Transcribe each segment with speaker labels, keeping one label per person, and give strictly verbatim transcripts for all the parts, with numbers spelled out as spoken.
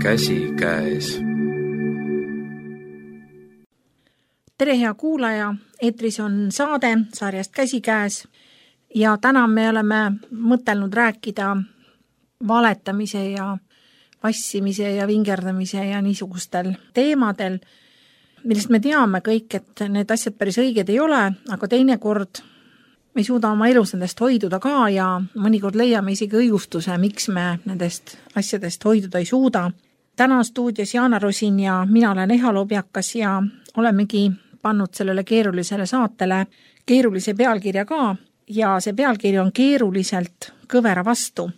Speaker 1: käsikäes.
Speaker 2: Tere hea kuulaja, eetris on saade sarjast Käsikäes ja täna me oleme mõtelnud rääkida valetamise ja vassimise ja vingerdamise ja niisugustel teemadel, millest me teame kõik, et need asjad päris õiged ei ole, aga teinekord me ei suuda oma elus nendest hoiduda ka ja mõnikord leiame isegi õigustuse, miks me nendest asjadest hoiduda ei suuda. Täna stuudios Jaana Rosin ja mina olen Eha Lobjakas ja olemegi pannud sellele keerulisele saatele keerulise pealkirja ka ja see pealkiri on keeruliselt kõvera vastu.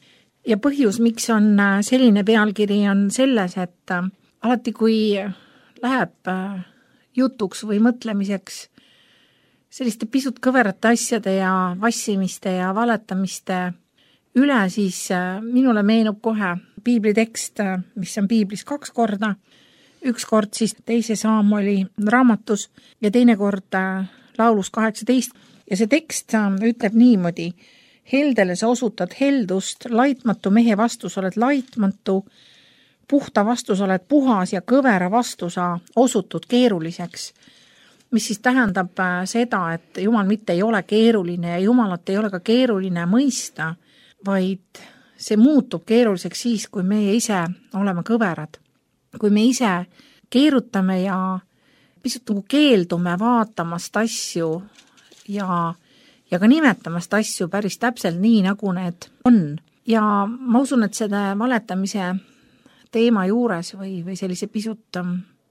Speaker 2: Ja põhjus, miks on selline pealkiri, on selles, et alati kui läheb jutuks või mõtlemiseks selliste pisut kõverate asjade ja vassimiste ja valetamiste üle, siis minule meenub kohe piiblitekst, mis on piiblis kaks korda. Üks kord siis teise saam oli raamatus ja teine kord laulus kaheksateist. Ja see tekst ütleb niimoodi: heldele sa osutad heldust, laitmatu mehe vastus oled laitmatu, puhta vastus oled puhas ja kõvera vastu sa osutud keeruliseks. Mis siis tähendab seda, et Jumal mitte ei ole keeruline ja Jumalat ei ole ka keeruline mõista, vaid see muutub keeruliseks siis, kui meie ise oleme kõverad. Kui me ise keerutame ja pisut nagu keeldume vaatamast asju ja, ja ka nimetamast asju päris täpselt nii, nagu need on. Ja ma usun, et seda valetamise teema juures või, või sellise pisut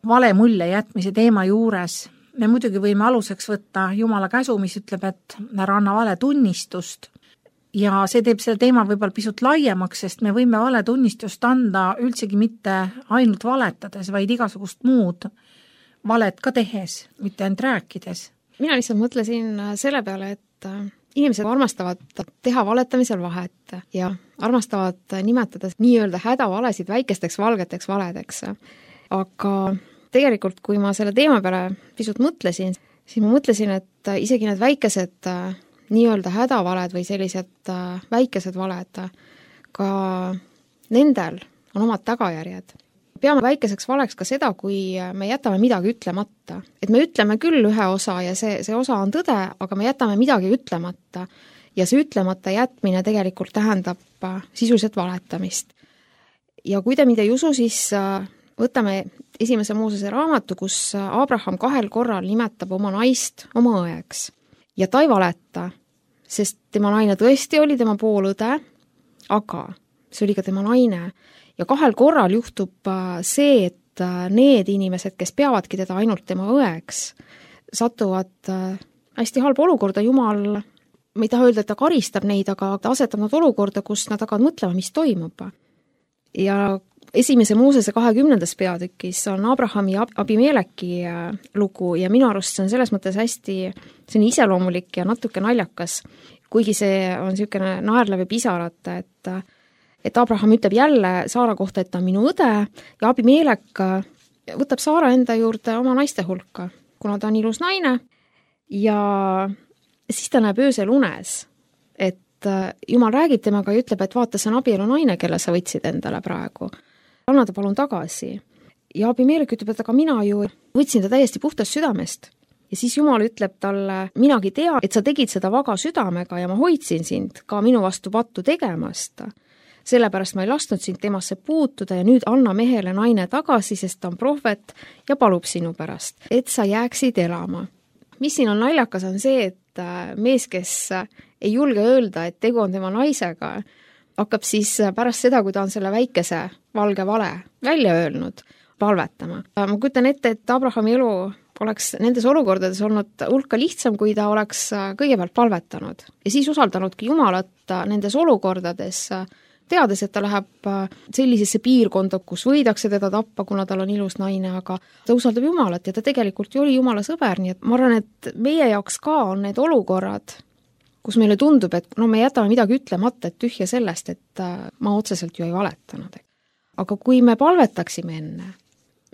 Speaker 2: vale mulje jätmise teema juures me muidugi võime aluseks võtta Jumala käsu, mis ütleb, et ära anna vale tunnistust. Ja see teeb selle teema võib-olla pisut laiemaks, sest me võime vale tunnistust anda üldsegi mitte ainult valetades, vaid igasugust muud valet ka tehes, mitte ainult rääkides.
Speaker 3: Mina lihtsalt mõtlesin selle peale, et inimesed armastavad teha valetamisel vahet ja armastavad nimetada nii-öelda hädavalesid väikesteks valgeteks valedeks. Aga tegelikult, kui ma selle teema peale pisut mõtlesin, siis ma mõtlesin, et isegi need väikesed nii-öelda hädavaled või sellised väikesed valed, ka nendel on omad tagajärjed. Peame väikeseks valeks ka seda, kui me jätame midagi ütlemata. Et me ütleme küll ühe osa ja see, see osa on tõde, aga me jätame midagi ütlemata. Ja see ütlemata jätmine tegelikult tähendab sisuliselt valetamist. Ja kui te mind ei usu, siis võtame esimese Moosese raamatu, kus Abraham kahel korral nimetab oma naist oma õeks. Ja ta ei valeta, sest tema naine tõesti oli tema poolõde, aga see oli ka tema naine. Ja kahel korral juhtub see, et need inimesed, kes peavadki teda ainult tema õeks, satuvad hästi halba olukorda. Jumal, ma ei taha öelda, et ta karistab neid, aga ta asetab nad olukorda, kus nad hakkavad mõtlema, mis toimub. Ja esimese Moosese kahekümnendas peatükis on Abrahami ja Abimeleki lugu ja minu arust see on selles mõttes hästi see on iseloomulik ja natuke naljakas, kuigi see on niisugune naerlev ja pisarat, et, et Abraham ütleb jälle Saara kohta, et ta on minu õde ja Abimelek võtab Saara enda juurde oma naiste hulka, kuna ta on ilus naine ja siis ta näeb öösel unes, et Jumal räägib temaga ja ütleb, et vaata, see on abielu naine, kelle sa võtsid endale praegu. Anna ta palun tagasi. Ja Abimelek ütleb, et aga mina ju võtsin ta täiesti puhtast südamest. Ja siis Jumal ütleb talle, minagi tea, et sa tegid seda vaga südamega ja ma hoidsin sind ka minu vastu pattu tegemast. Sellepärast ma ei lasknud sind temasse puutuda ja nüüd anna mehele naine tagasi, sest ta on prohvet ja palub sinu pärast, et sa jääksid elama. Mis siin on naljakas on see, et mees, kes ei julge öelda, et tegu on tema naisega, hakkab siis pärast seda, kui ta on selle väikese valge vale välja öelnud, palvetama. Ma kujutan ette, et Abrahami elu oleks nendes olukordades olnud hulka lihtsam, kui ta oleks kõigepealt palvetanud. Ja siis usaldanudki Jumalat nendes olukordades, teades, et ta läheb sellisesse piirkonda, kus võidakse teda tappa, kuna tal on ilus naine, aga ta usaldab Jumalat ja ta tegelikult ju oli Jumala sõber, nii et ma arvan, et meie jaoks ka on need olukorrad, kus meile tundub, et no me jätame midagi ütlemata, et tühja sellest, et ma otseselt ju ei valetanud. Aga kui me palvetaksime enne,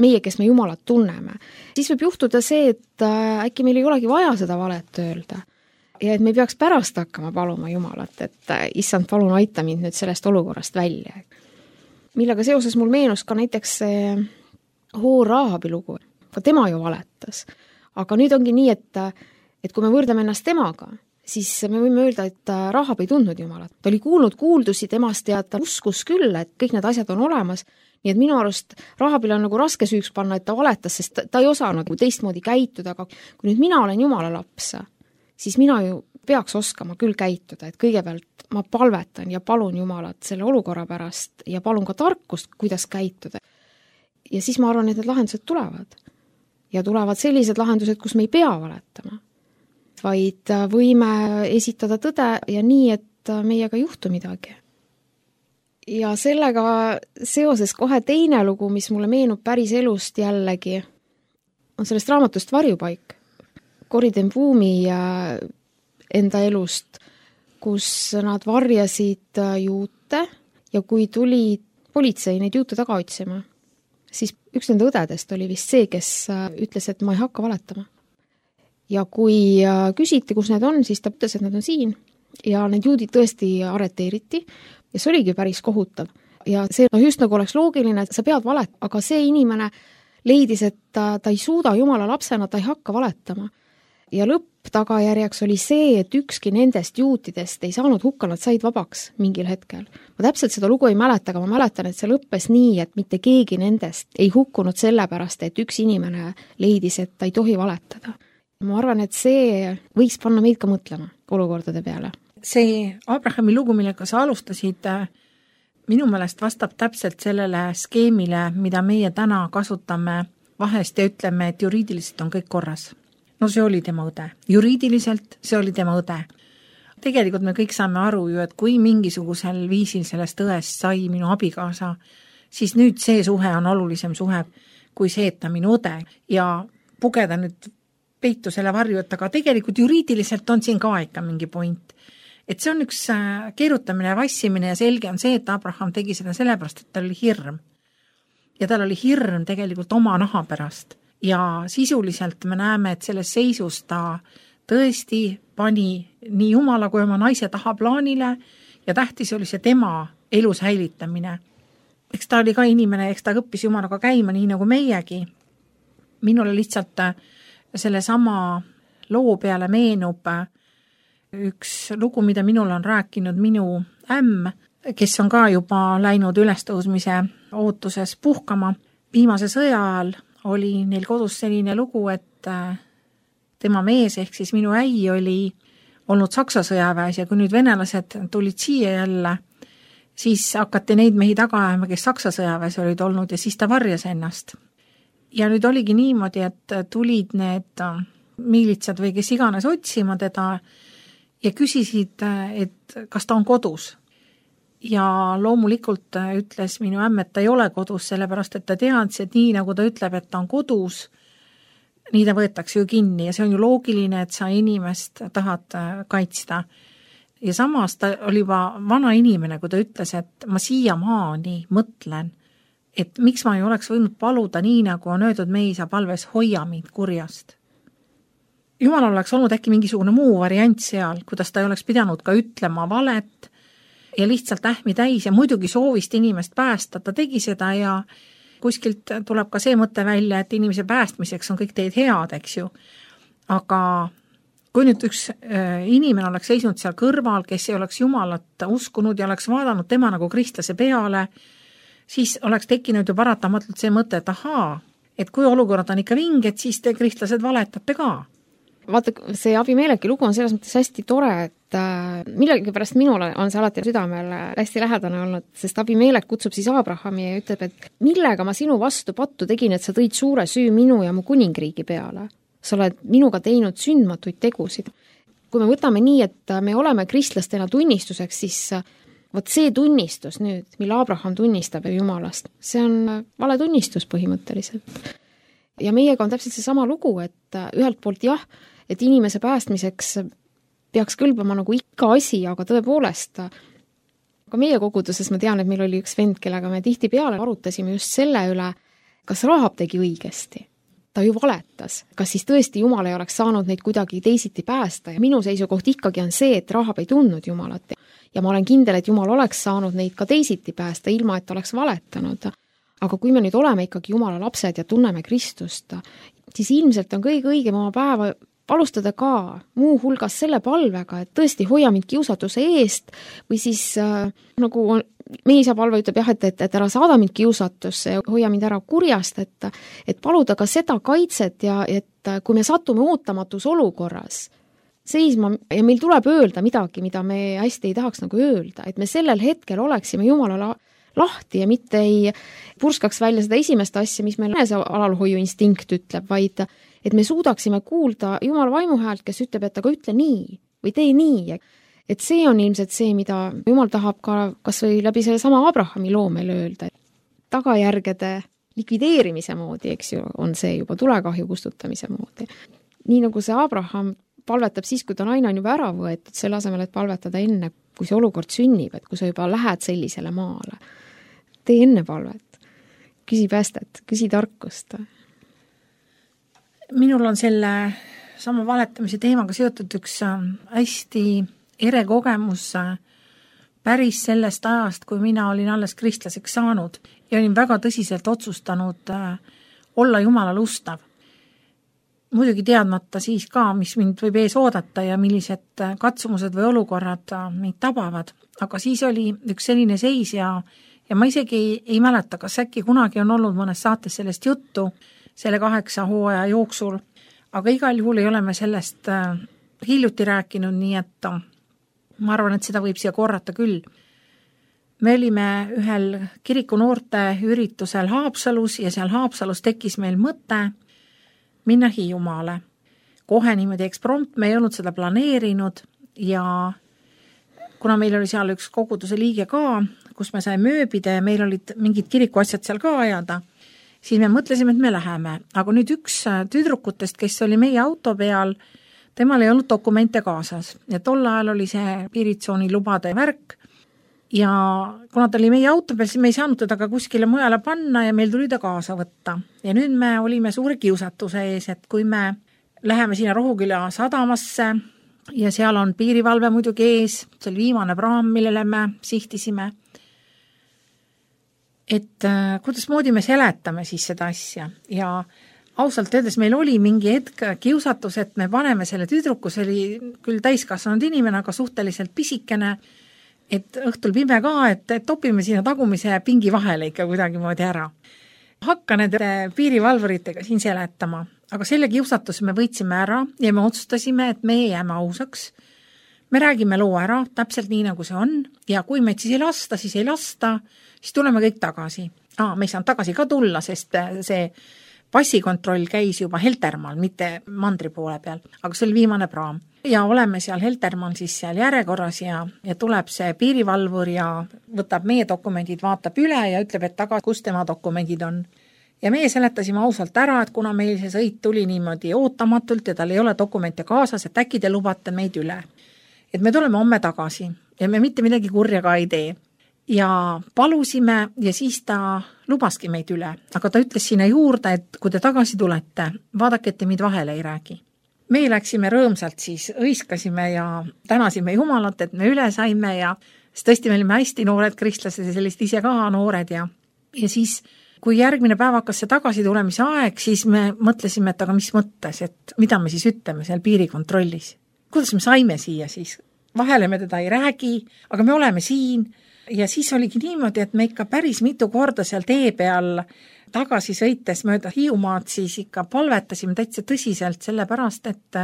Speaker 3: meie, kes me Jumalat tunneme, siis võib juhtuda see, et äkki meil ei olegi vaja seda valet öelda. Ja et me peaks pärast hakkama paluma Jumalat, et issand, palun aita mind nüüd sellest olukorrast välja. millega seoses mul meenus ka näiteks see Hoor Rahabi lugu. Ka tema ju valetas. Aga nüüd ongi nii, et, et kui me võrdame ennast temaga, siis me võime öelda, et Rahab ei tundnud Jumalat. Ta oli kuulnud kuuldusi temast ja ta uskus küll, et kõik need asjad on olemas. Nii et minu arust Rahabil on nagu raske süüks panna, et ta valetas, sest ta, ta ei osanud teistmoodi käituda, aga kui nüüd mina olen Jumala laps, siis mina ju peaks oskama küll käituda, et kõigepealt ma palvetan ja palun Jumalat selle olukorra pärast ja palun ka tarkust, kuidas käituda. Ja siis ma arvan, et need lahendused tulevad. Ja tulevad sellised lahendused, kus me ei pea valetama, vaid võime esitada tõde ja nii, et meiega ei juhtu midagi. Ja sellega seoses kohe teine lugu, mis mulle meenub päris elust jällegi, on sellest raamatust Varjupaik. Corrie ten Boom'i enda elust, kus nad varjasid juute ja kui tuli politsei neid juute taga otsima, siis üks nende õdedest oli vist see, kes ütles, et ma ei hakka valetama. Ja kui küsiti, kus need on, siis ta ütles, et nad on siin ja need juudid tõesti arreteeriti ja see oligi päris kohutav. Ja see no just nagu oleks loogiline, et sa pead valet, aga see inimene leidis, et ta, ta ei suuda Jumala lapsena, ta ei hakka valetama. Ja lõpptagajärjeks oli see, et ükski nendest juutidest ei saanud hukka, nad said vabaks mingil hetkel. Ma täpselt seda lugu ei mäleta, aga ma mäletan, et see lõppes nii, et mitte keegi nendest ei hukkunud sellepärast, et üks inimene leidis, et ta ei tohi valetada. Ma arvan, et see võiks panna meid ka mõtlema olukordade peale.
Speaker 2: See Abrahami lugu, millega sa alustasid, minu meelest vastab täpselt sellele skeemile, mida meie täna kasutame vahest ja ütleme, et juriidiliselt on kõik korras. No see oli tema õde. Juriidiliselt see oli tema õde. Tegelikult me kõik saame aru ju, et kui mingisugusel viisil sellest õest sai minu abikaasa, siis nüüd see suhe on olulisem suhe kui see, et ta minu õde ja pugeda nüüd peitu selle varju, et aga tegelikult juriidiliselt on siin ka ikka mingi point. Et see on üks keerutamine ja vassimine ja selge on see, et Abraham tegi seda sellepärast, et tal oli hirm. Ja tal oli hirm tegelikult oma naha pärast. Ja sisuliselt me näeme, et selles seisus ta tõesti pani nii Jumala kui oma naise taha plaanile ja tähtis oli see tema elu säilitamine. Eks ta oli ka inimene, eks ta õppis Jumalaga käima nii nagu meiegi. Minule lihtsalt selle sama loo peale meenub üks lugu, mida minul on rääkinud minu ämm, kes on ka juba läinud ülestõusmise ootuses puhkama. Viimase sõja ajal oli neil kodus selline lugu, et tema mees ehk siis minu äi oli olnud Saksa sõjaväes ja kui nüüd venelased tulid siia jälle, siis hakati neid mehi taga ajama, kes Saksa sõjaväes olid olnud ja siis ta varjas ennast. Ja nüüd oligi niimoodi, et tulid need miilitsad või kes iganes otsima teda ja küsisid, et kas ta on kodus. Ja loomulikult ütles minu ämm, et ta ei ole kodus, sellepärast et ta teadis, et nii nagu ta ütleb, et ta on kodus, nii ta võetakse ju kinni ja see on ju loogiline, et sa inimest tahad kaitsta. Ja samas ta oli juba vana inimene, kui ta ütles, et ma siiamaani mõtlen, et miks ma ei oleks võinud paluda nii, nagu on öeldud meisa palves, hoia mind kurjast. Jumal oleks olnud äkki mingisugune muu variant seal, kuidas ta ei oleks pidanud ka ütlema valet ja lihtsalt ähmi täis ja muidugi soovist inimest päästa. Ta tegi seda ja kuskilt tuleb ka see mõte välja, et inimese päästmiseks on kõik teed head, eks ju. Aga kui nüüd üks inimene oleks seisnud seal kõrval, kes ei oleks Jumalat uskunud ja oleks vaadanud tema nagu kristlase peale, siis oleks tekkinud ju paratamatult see mõte, et ahaa, et kui olukord on ikka vinged, siis te kristlased valetate ka.
Speaker 3: Vaata, see Abimeleki lugu on selles mõttes hästi tore, et millegi pärast minule on see alati südamele hästi lähedane olnud, sest Abimelek kutsub siis Abrahami ja ütleb, et millega ma sinu vastu pattu tegin, et sa tõid suure süü minu ja mu kuningriigi peale. Sa oled minuga teinud sündmatuid tegusid. Kui me võtame nii, et me oleme kristlastena tunnistuseks, siis võt see tunnistus nüüd, mille Abraham tunnistab Jumalast, see on vale tunnistus põhimõtteliselt. Ja meiega on täpselt see sama lugu, et ühelt poolt jah, et inimese päästmiseks peaks kõlbama nagu ikka asi, aga tõepoolest, ka meie koguduses ma tean, et meil oli üks vend, kellega me tihti peale arutasime just selle üle, kas Rahab tegi õigesti. ta ju valetas. Kas siis tõesti Jumal ei oleks saanud neid kuidagi teisiti päästa ja minu seisukoht ikkagi on see, et Rahab ei tundnud Jumalat ja ma olen kindel, et Jumal oleks saanud neid ka teisiti päästa, ilma et oleks valetanud. Aga kui me nüüd oleme ikkagi Jumala lapsed ja tunneme Kristust, siis ilmselt on kõige õigem oma päeva alustada ka muu hulgas selle palvega, et tõesti hoia mind kiusatuse eest või siis äh, nagu on, meie isa palve ütleb jah, et, et, et ära saada mind kiusatusse ja hoia mind ära kurjast, et, et paluda ka seda kaitset ja et kui me satume ootamatus olukorras seisma ja meil tuleb öelda midagi, mida me hästi ei tahaks nagu öelda, et me sellel hetkel oleksime Jumalale lahti ja mitte ei purskaks välja seda esimest asja, mis meil see alalhoiu instinkt ütleb, vaid et me suudaksime kuulda Jumala vaimuhäält, kes ütleb, et aga ütle nii või tee nii. Et see on ilmselt see, mida Jumal tahab ka kas või läbi selle sama Abrahami loo meil öelda. Tagajärgede likvideerimise moodi, eks ju, on see juba tulekahju kustutamise moodi. Nii nagu see Abraham palvetab siis, kui ta naine on juba ära võetud, selle asemel, et palvetada enne, kui see olukord sünnib, et kui sa juba lähed sellisele maale. Tee enne palvet, küsi päästet, küsi tarkust.
Speaker 2: Minul on selle sama valetamise teemaga seotud üks hästi ere kogemus päris sellest ajast, kui mina olin alles kristlaseks saanud ja olin väga tõsiselt otsustanud olla Jumalale ustav. Muidugi teadmata siis ka, mis mind võib ees oodata ja millised katsumused või olukorrad mind tabavad. Aga siis oli üks selline seis ja, ja ma isegi ei, ei mäleta, kas äkki kunagi on olnud mõnes saates sellest juttu selle kaheksa hooaja jooksul, aga igal juhul ei ole me sellest hiljuti rääkinud, nii et ma arvan, et seda võib siia korrata küll. Me olime ühel kiriku noorte üritusel Haapsalus ja seal Haapsalus tekkis meil mõte minna Hiiumaale. Kohe niimoodi eksprompt, me ei olnud seda planeerinud ja kuna meil oli seal üks koguduse liige ka, kus me sai mööbida ja meil olid mingid kirikuasjad seal ka ajada, siis me mõtlesime, et me läheme. Aga nüüd üks tüdrukutest, kes oli meie auto peal, temal ei olnud dokumente kaasas ja tol ajal oli see piiritsooni lubade värk ja kuna ta oli meie auto peal, siis me ei saanud teda ka kuskile mujale panna ja meil tuli ta kaasa võtta. Ja nüüd me olime suure kiusatuse ees, et kui me läheme sinna Rohuküla sadamasse ja seal on piirivalve muidugi ees, see oli viimane praam, millele me sihtisime, et äh, kuidas moodi me seletame siis seda asja ja ausalt öeldes meil oli mingi hetk kiusatus, et me paneme selle tüdruku, see oli küll täiskasvanud inimene, aga suhteliselt pisikene, et õhtul pime ka, et, et topime sinna tagumise pingi vahele ikka kuidagi moodi ära. Hakka nende piirivalvuritega siin seletama, aga selle kiusatuse me võitsime ära ja me otsustasime, et me jääme ausaks. Me räägime loo ära, täpselt nii nagu see on ja kui meid siis ei lasta, siis ei lasta, siis tuleme kõik tagasi. Aa, me ei saanud tagasi ka tulla, sest see passikontroll käis juba Heltermaal, mitte mandri poole peal, aga see oli viimane praam. Ja oleme seal Heltermaal siis seal järjekorras ja, ja tuleb see piirivalvur ja võtab meie dokumendid, vaatab üle ja ütleb, et taga, kus tema dokumendid on. Ja meie seletasime ausalt ära, et kuna meil see sõit tuli niimoodi ootamatult ja tal ei ole dokumente kaasas, et äkki te lubate meid üle. Et me tuleme homme tagasi ja me mitte midagi kurja ka ei tee. Ja palusime ja siis ta lubaski meid üle, aga ta ütles sinna juurde, et kui te tagasi tulete, vaadake, et te meid vahele ei räägi. Me läksime rõõmsalt siis, õiskasime ja tänasime Jumalat, et me üle saime ja siis tõesti me olime hästi noored kristlased ja sellist ise ka noored ja, ja siis kui järgmine päev hakkas see tagasi tulemise aeg, siis me mõtlesime, et aga mis mõttes, et mida me siis ütleme seal piirikontrollis. Kuidas me saime siia siis? Vahele me teda ei räägi, aga me oleme siin. Ja siis oligi niimoodi, et me ikka päris mitu korda seal tee peal tagasi sõites mööda Hiiumaad siis ikka palvetasime täitsa tõsiselt selle pärast, et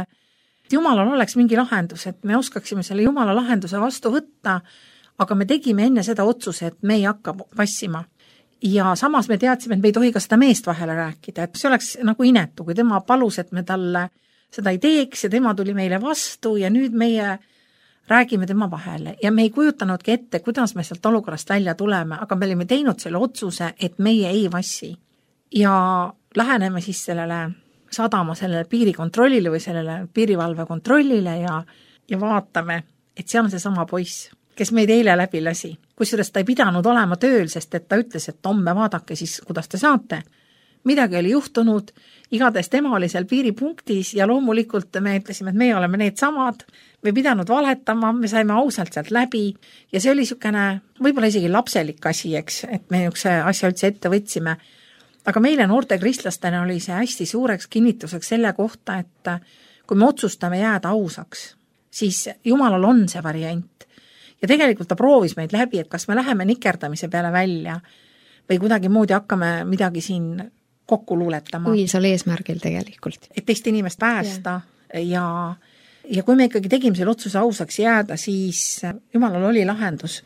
Speaker 2: Jumalal oleks mingi lahendus, et me oskaksime selle Jumala lahenduse vastu võtta, aga me tegime enne seda otsuse, et me ei hakka vassima. Ja samas me teadsime, et me ei tohi ka seda meest vahele rääkida, et see oleks nagu inetu, kui tema palus, et me talle seda ei teeks ja tema tuli meile vastu ja nüüd meie räägime tema vahele ja me ei kujutanudki ette, kuidas me sealt olukorrast välja tuleme, aga me olime teinud selle otsuse, et meie ei vassi. Ja läheneme siis sellele sadama sellele piirikontrollile või sellele piirivalve kontrollile ja, ja vaatame, et seal on see sama poiss, kes meid eile läbi lasi. Kusjuures ta ei pidanud olema tööl, sest et ta ütles, et homme vaadake siis, kuidas te saate. midagi oli juhtunud, igatahes tema oli seal piiripunktis ja loomulikult me ütlesime, et me oleme need samad, me pidanud valetama, me saime ausalt sealt läbi ja see oli niisugune võib-olla isegi lapselik asi, eks, et me niisuguse asja üldse ette võtsime. Aga meile noorte kristlastena oli see hästi suureks kinnituseks selle kohta, et kui me otsustame jääda ausaks, siis Jumalal on see variant. Ja tegelikult ta proovis meid läbi, et kas me läheme nikerdamise peale välja või kuidagi moodi hakkame midagi siin kokku luuletama.
Speaker 3: Õilsal eesmärgil tegelikult.
Speaker 2: Et teist inimest päästa yeah. ja, ja kui me ikkagi tegime selle otsuse ausaks jääda, siis Jumalal oli lahendus.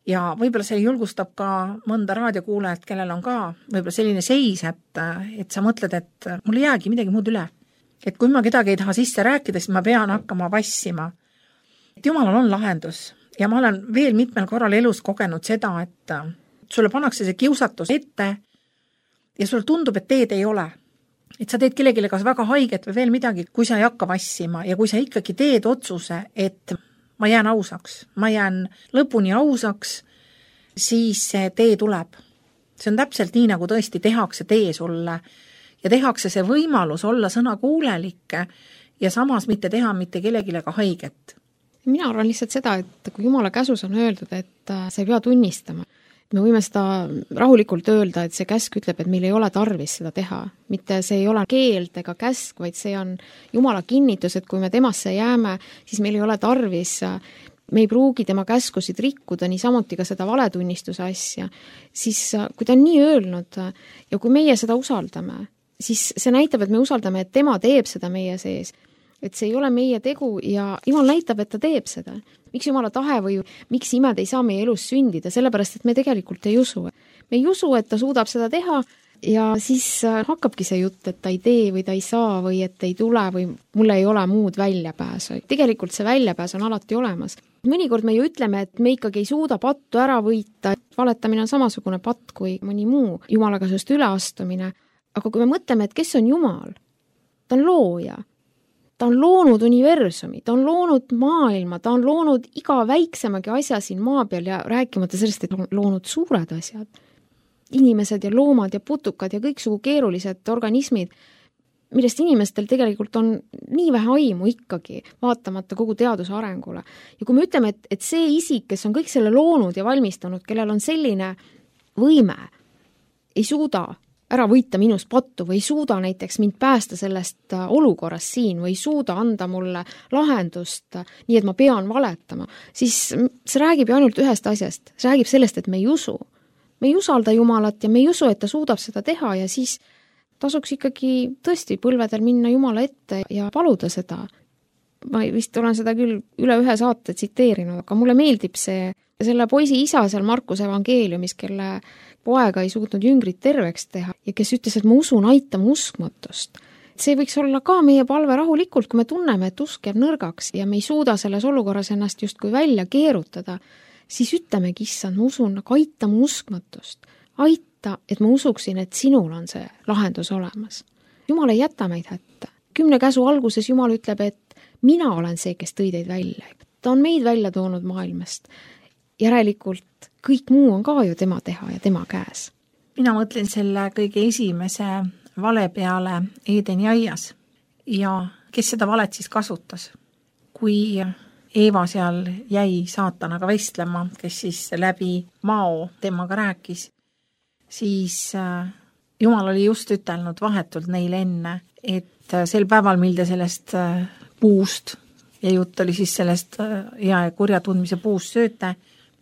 Speaker 2: Ja võib-olla see julgustab ka mõnda raadiokuulajat, kellel on ka võib-olla selline seis, et, et sa mõtled, et mul ei jäägi midagi muud üle. Et kui ma kedagi ei taha sisse rääkida, siis ma pean hakkama vassima. Et Jumalal on lahendus. Ja ma olen veel mitmel korral elus kogenud seda, et sulle pannakse see kiusatus ette ja sulle tundub, et teed ei ole. Et sa teed kellegile kas väga haiget või veel midagi, kui sa ei hakka vassima ja kui sa ikkagi teed otsuse, et ma jään ausaks, ma jään lõpuni ausaks, siis see tee tuleb. See on täpselt nii, nagu tõesti tehakse tee sulle ja tehakse see võimalus olla sõna kuulelik ja samas mitte teha mitte kellegile ka haiget.
Speaker 3: Mina arvan lihtsalt seda, et kui Jumala käsus on öeldud, et sa ei pea tunnistama, me võime seda rahulikult öelda, et see käsk ütleb, et meil ei ole tarvis seda teha. Mitte see ei ole keeld ega käsk, vaid see on Jumala kinnitus, et kui me temasse jääme, siis meil ei ole tarvis, me ei pruugi tema käskusid rikkuda, nii samuti ka seda valetunnistuse asja. Siis kui ta on nii öelnud ja kui meie seda usaldame, siis see näitab, et me usaldame, et tema teeb seda meie sees. Et see ei ole meie tegu ja Jumal näitab, et ta teeb seda. Miks Jumala tahe või miks imed ei saa meie elus sündida, sellepärast, et me tegelikult ei usu. Me ei usu, et ta suudab seda teha ja siis hakkabki see jutt, et ta ei tee või ta ei saa või et ei tule või mul ei ole muud väljapääsu. Tegelikult see väljapääs on alati olemas. Mõnikord me ju ütleme, et me ikkagi ei suuda pattu ära võita. Valetamine on samasugune patt kui mõni muu Jumala käsust üleastumine. Aga kui me mõtleme, et kes on Jumal, ta on looja. Ta on loonud universumi, ta on loonud maailma, ta on loonud iga väiksemagi asja siin maa peal ja rääkimata sellest, et on loonud suured asjad. Inimesed ja loomad ja putukad ja kõiksugu keerulised organismid, millest inimestel tegelikult on nii vähe aimu ikkagi, vaatamata kogu teaduse arengule. Ja kui me ütleme, et, et see isik, kes on kõik selle loonud ja valmistanud, kellel on selline võime, ei suuda ära võita minust pattu või ei suuda näiteks mind päästa sellest olukorrast siin või ei suuda anda mulle lahendust, nii et ma pean valetama, siis see räägib ju ainult ühest asjast. See räägib sellest, et me ei usu. Me ei usalda Jumalat ja me ei usu, et ta suudab seda teha ja siis tasuks ikkagi tõesti põlvedel minna Jumala ette ja paluda seda. Ma vist olen seda küll üle ühe saate tsiteerinud, aga mulle meeldib see, selle poisi isa seal Markuse evangeeliumis, kelle poega ei suutnud jüngrit terveks teha ja kes ütles, et ma usun, aitama uskmatust. See võiks olla ka meie palve rahulikult, kui me tunneme, et usk jääb nõrgaks ja me ei suuda selles olukorras ennast justkui välja keerutada, siis ütlemegi, issand, ma usun, aga aitama uskmatust. Aita, et ma usuksin, et sinul on see lahendus olemas. Jumal ei jäta meid hätta. Kümne käsu alguses Jumal ütleb, et mina olen see, kes tõi teid välja. Ta on meid välja toonud maailmast. Järelikult kõik muu on ka ju tema teha ja tema käes.
Speaker 2: Mina mõtlen selle kõige esimese vale peale Eedeni aias ja kes seda valet siis kasutas. Kui Eeva seal jäi saatanaga vestlema, kes siis läbi mao temaga rääkis, siis Jumal oli just ütelnud vahetult neile enne, et sel päeval, mil te sellest puust ja jutt oli siis sellest hea ja kurja tundmise puust sööte,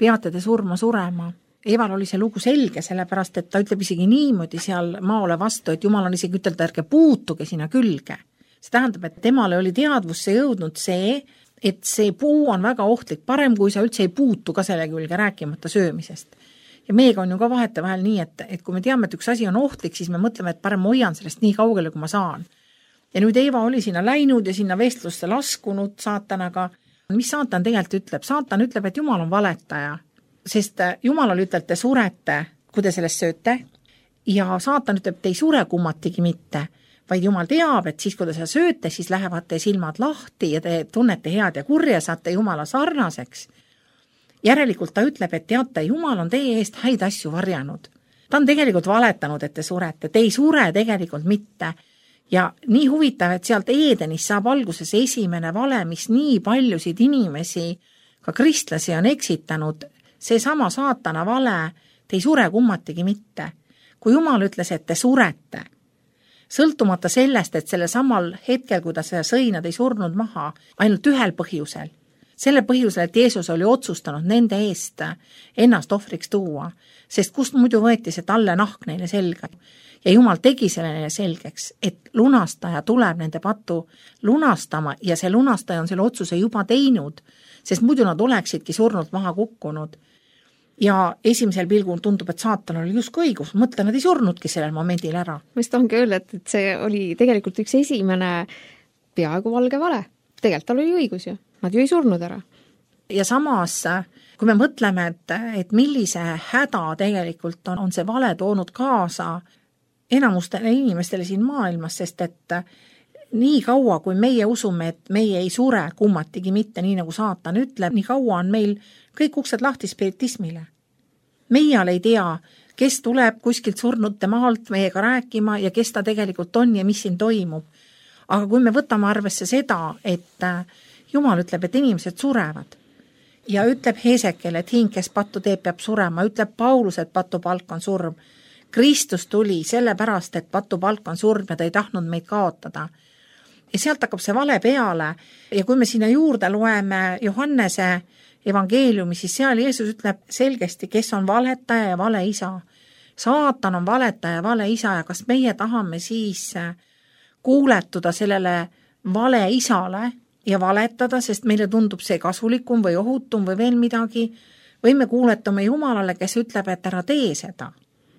Speaker 2: peate te surma surema. Eeval oli see lugu selge, sellepärast, et ta ütleb isegi niimoodi seal maole vastu, et Jumal on isegi ütelda, ärge puutuge sinna külge. See tähendab, et temale oli teadvusse jõudnud see, et see puu on väga ohtlik, parem kui sa üldse ei puutu ka selle külge rääkimata söömisest. Ja meega on ju ka vahete vahel nii, et, et kui me teame, et üks asi on ohtlik, siis me mõtleme, et parem hoian sellest nii kaugele, kui ma saan. Ja nüüd Eeva oli sinna läinud ja sinna vestlusse laskunud saatanaga. Mis saatan tegelikult ütleb? Saatan ütleb, et Jumal on valetaja, sest Jumalal ütleb, te surete, kui te sellest sööte, ja saatan ütleb, te ei sure kummatigi mitte, vaid Jumal teab, et siis, kui te seda sööte, siis lähevad te silmad lahti ja te tunnete head ja kurja, saate Jumala sarnaseks. Järelikult ta ütleb, et teate, Jumal on teie eest häid asju varjanud. ta on tegelikult valetanud, et te surete, te ei sure tegelikult mitte. Ja nii huvitav, et sealt Eedenis saab alguses esimene vale, mis nii paljusid inimesi, ka kristlasi on eksitanud, see sama saatana vale, te ei sure kummatigi mitte. Kui Jumal ütles, et te surete, sõltumata sellest, et selle samal hetkel, kui ta seda sõi, nad ei surnud maha, ainult ühel põhjusel. Selle põhjusel, et Jeesus oli otsustanud nende eest ennast ohvriks tuua, sest kust muidu võeti see talle nahk neile selga. Ja Jumal tegi selle neile selgeks, et lunastaja tuleb nende patu lunastama ja see lunastaja on selle otsuse juba teinud, sest muidu nad oleksidki surnult maha kukkunud. Ja esimesel pilgul tundub, et saatan oli justkui õigus, mõtle, nad ei surnudki sellel momendil ära.
Speaker 3: Ma just tahangi öelda, et see oli tegelikult üks esimene peaaegu valge vale. Tegelikult tal oli õigus ju, nad ju ei surnud ära.
Speaker 2: Ja samas, kui me mõtleme, et, et millise häda tegelikult on, on see vale toonud kaasa enamustele inimestele siin maailmas, sest et nii kaua, kui meie usume, et meie ei sure kummatigi mitte, nii nagu saatan ütleb, nii kaua on meil kõik uksed lahti spiritismile. Meie ei tea, kes tuleb kuskilt surnute maalt meiega rääkima ja kes ta tegelikult on ja mis siin toimub. Aga kui me võtame arvesse seda, et Jumal ütleb, et inimesed surevad ja ütleb Heesekel, et hing, kes pattu teeb, peab surema, ütleb Paulus, et patu palk on surm. Kristus tuli sellepärast, et patu palk on surm ja ta ei tahtnud meid kaotada. Ja sealt hakkab see vale peale ja kui me sinna juurde loeme Johannese evangeeliumi, siis seal Jeesus ütleb selgesti, kes on valetaja ja vale isa. Saatan on valetaja ja vale isa ja kas meie tahame siis kuuletuda sellele vale isale ja valetada, sest meile tundub see kasulikum või ohutum või veel midagi, või me kuuletame Jumalale, kes ütleb, et ära tee seda.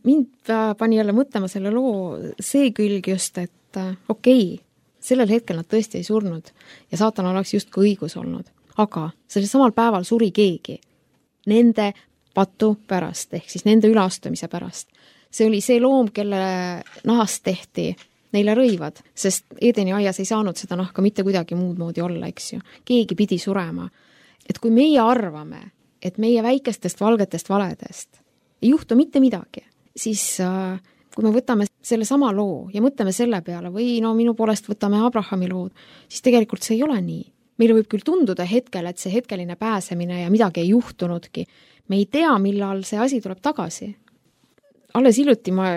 Speaker 3: Mind pani jälle mõtlema selle loo see külg just, et okei, okay, sellel hetkel nad tõesti ei surnud ja saatan oleks justkui õigus olnud. Aga sellel samal päeval suri keegi nende patu pärast, ehk siis nende üleastumise pärast. See oli see loom, kelle nahast tehti neile rõivad, sest Eedeni aias ei saanud seda nahka mitte kuidagi muud moodi olla, eks ju. Keegi pidi surema. Et kui meie arvame, et meie väikestest valgetest valedest ei juhtu mitte midagi, siis kui me võtame selle sama loo ja mõtleme selle peale või no minu poolest võtame Abrahami lood, siis tegelikult see ei ole nii. Meile võib küll tunduda hetkel, et see hetkeline pääsemine ja midagi ei juhtunudki. Me ei tea, millal see asi tuleb tagasi. Alles hiljuti ma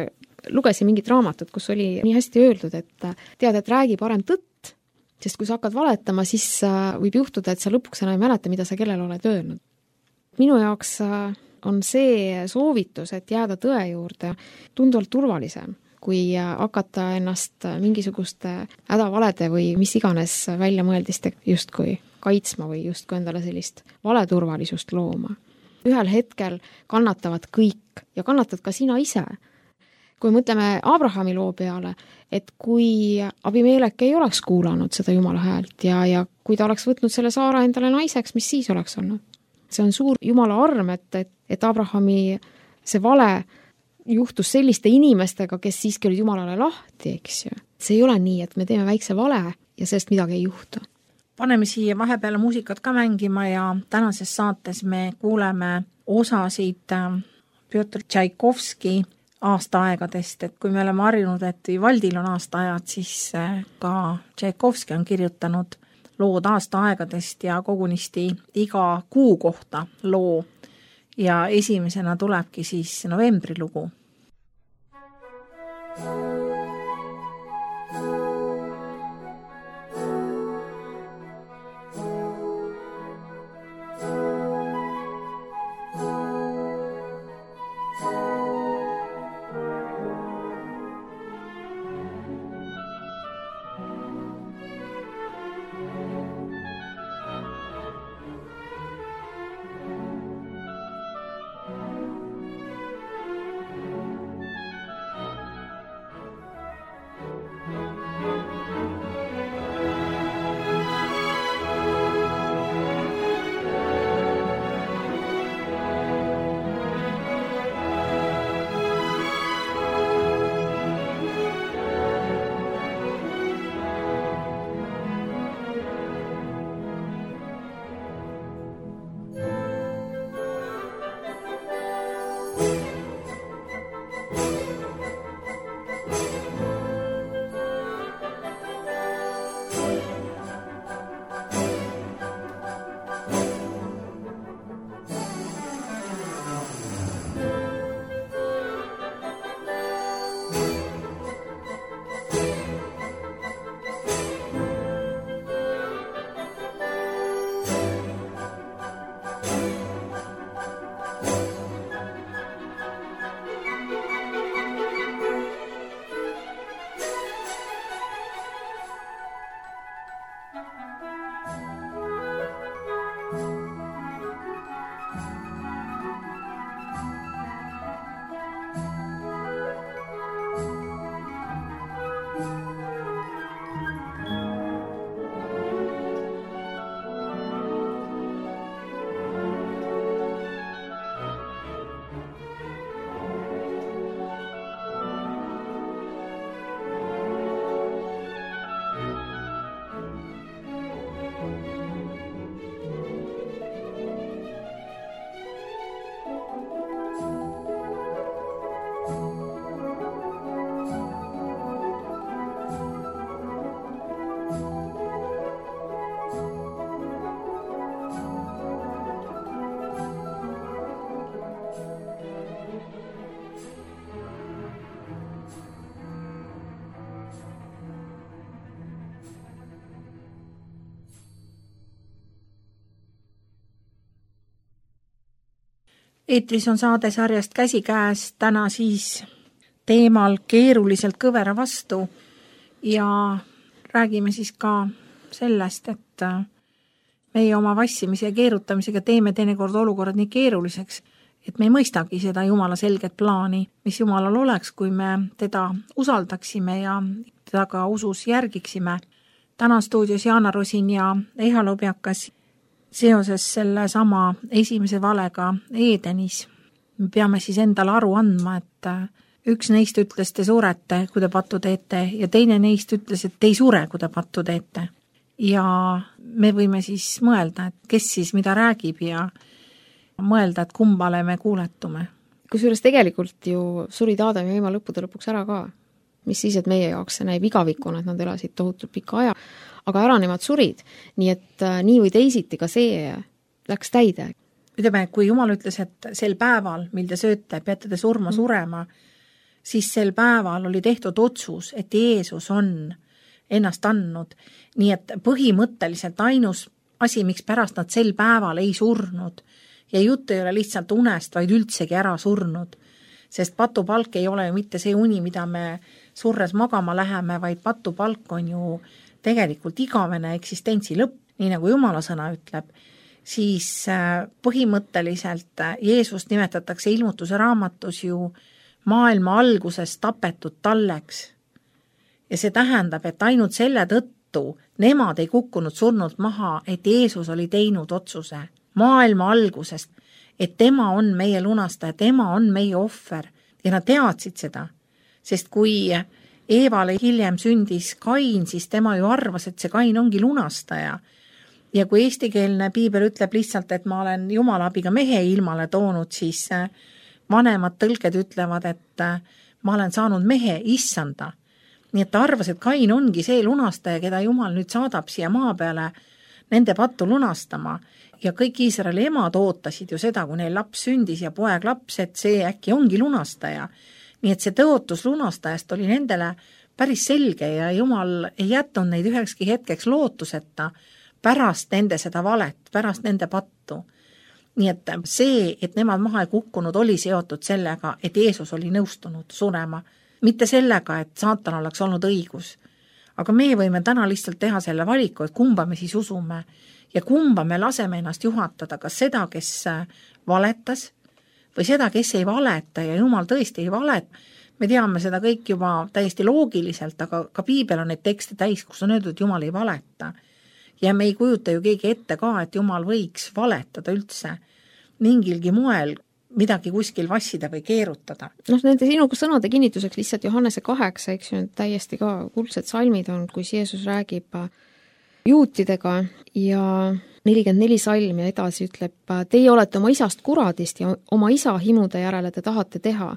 Speaker 3: lugesin mingit raamatut, kus oli nii hästi öeldud, et tead, et räägi parem tõtt, sest kui sa hakkad valetama, siis võib juhtuda, et sa lõpuks enam ei mäleta, mida sa kellele oled öelnud. Minu jaoks on see soovitus, et jääda tõe juurde tunduvalt turvalisem, kui hakata ennast mingisuguste hädavalede või mis iganes väljamõeldiste justkui kaitsma või justkui endale sellist valeturvalisust looma. Ühel hetkel kannatavad kõik ja kannatad ka sina ise. Kui mõtleme Abrahami loo peale, et kui Abimelek ei oleks kuulanud seda Jumala häält ja, ja kui ta oleks võtnud selle Saara endale naiseks, mis siis oleks olnud? See on suur Jumala arm, et, et, et Abrahami see vale juhtus selliste inimestega, kes siiski olid Jumalale lahti, eks ju. See ei ole nii, et me teeme väikse vale ja sellest midagi ei juhtu.
Speaker 2: Paneme siia vahepeale muusikat ka mängima ja tänases saates me kuuleme osasid Pjotr Tšaikovski aastaaegadest, et kui me oleme harjunud, et Vivaldil on aastaajad, siis ka Tšaikovski on kirjutanud lood aastaaegadest ja kogunisti iga kuu kohta loo ja esimesena tulebki siis novembri lugu. eetris on saade sarjast Käsikäes, täna siis teemal keeruliselt kõvera vastu ja räägime siis ka sellest, et meie oma vassimise ja keerutamisega teeme teinekord olukorrad nii keeruliseks, et me ei mõistagi seda Jumala selget plaani, mis Jumalal oleks, kui me teda usaldaksime ja teda ka usus järgiksime. Täna stuudios Jaana Rosin ja Eiha Lobjakas seoses selle sama esimese valega Edenis. Me peame siis endale aru andma, et üks neist ütles, te surete, kui te pattu teete, ja teine neist ütles, et te ei sure, kui te pattu teete. Ja me võime siis mõelda, et kes siis mida räägib ja mõelda, et kumbale me kuuletume.
Speaker 3: Kusjuures tegelikult ju surid Aadam ja Eeva lõppude lõpuks ära ka. Mis siis, et meie jaoks see näib igavikuna, et nad elasid tohutult pika aja, aga ära nemad surid. Nii et äh, nii või teisiti ka see läks täide.
Speaker 2: Ütleme, kui Jumal ütles, et sel päeval, mil te sööte, peate te surma mm. surema, siis sel päeval oli tehtud otsus, et Jeesus on ennast andnud. Nii et põhimõtteliselt ainus asi, miks pärast nad sel päeval ei surnud, ja jutt ei ole lihtsalt unest, vaid üldsegi ära surnud. Sest patupalk ei ole ju mitte see uni, mida me surres magama läheme, vaid patupalk on ju tegelikult igavene eksistentsi lõpp, nii nagu Jumala sõna ütleb. Siis põhimõtteliselt Jeesust nimetatakse ilmutuse raamatus ju maailma alguses tapetud talleks. Ja see tähendab, et ainult selle tõttu nemad ei kukkunud surnult maha, et Jeesus oli teinud otsuse maailma algusest, et tema on meie lunastaja, tema on meie ohver ja nad teadsid seda, sest kui Eevale hiljem sündis Kain, siis tema ju arvas, et see Kain ongi lunastaja ja kui eestikeelne piibel ütleb lihtsalt, et ma olen Jumala abiga mehe ilmale toonud, siis vanemad tõlked ütlevad, et ma olen saanud mehe issanda. Nii et ta arvas, et Kain ongi see lunastaja, keda Jumal nüüd saadab siia maa peale nende pattu lunastama. Ja kõik Iisraeli emad ootasid ju seda, kui neil laps sündis ja poeg laps, et see äkki ongi lunastaja. Nii et see tõotus lunastajast oli nendele päris selge ja Jumal ei jätnud neid ühekski hetkeks lootuseta pärast nende seda valet, pärast nende pattu. Nii et see, et nemad maha ei kukkunud, oli seotud sellega, et Jeesus oli nõustunud surema. Mitte sellega, et saatan oleks olnud õigus. Aga me võime täna lihtsalt teha selle valiku, et kumba me siis usume. Ja kumba me laseme ennast juhatada, kas seda, kes valetas või seda, kes ei valeta ja Jumal tõesti ei valet. Me teame seda kõik juba täiesti loogiliselt, aga ka piibel on neid tekste täis, kus on öeldud, et Jumal ei valeta. Ja me ei kujuta ju keegi ette ka, et Jumal võiks valetada üldse mingilgi moel midagi kuskil vassida või keerutada.
Speaker 3: Noh, nende sinu sõnade kinnituseks lihtsalt Johannese kaheksa, eks ju, täiesti ka kuldsed salmid on, kus Jeesus räägib juutidega ja nelikümmend neli salm ja edasi ütleb, teie olete oma isast kuradist ja oma isa himude järele te tahate teha.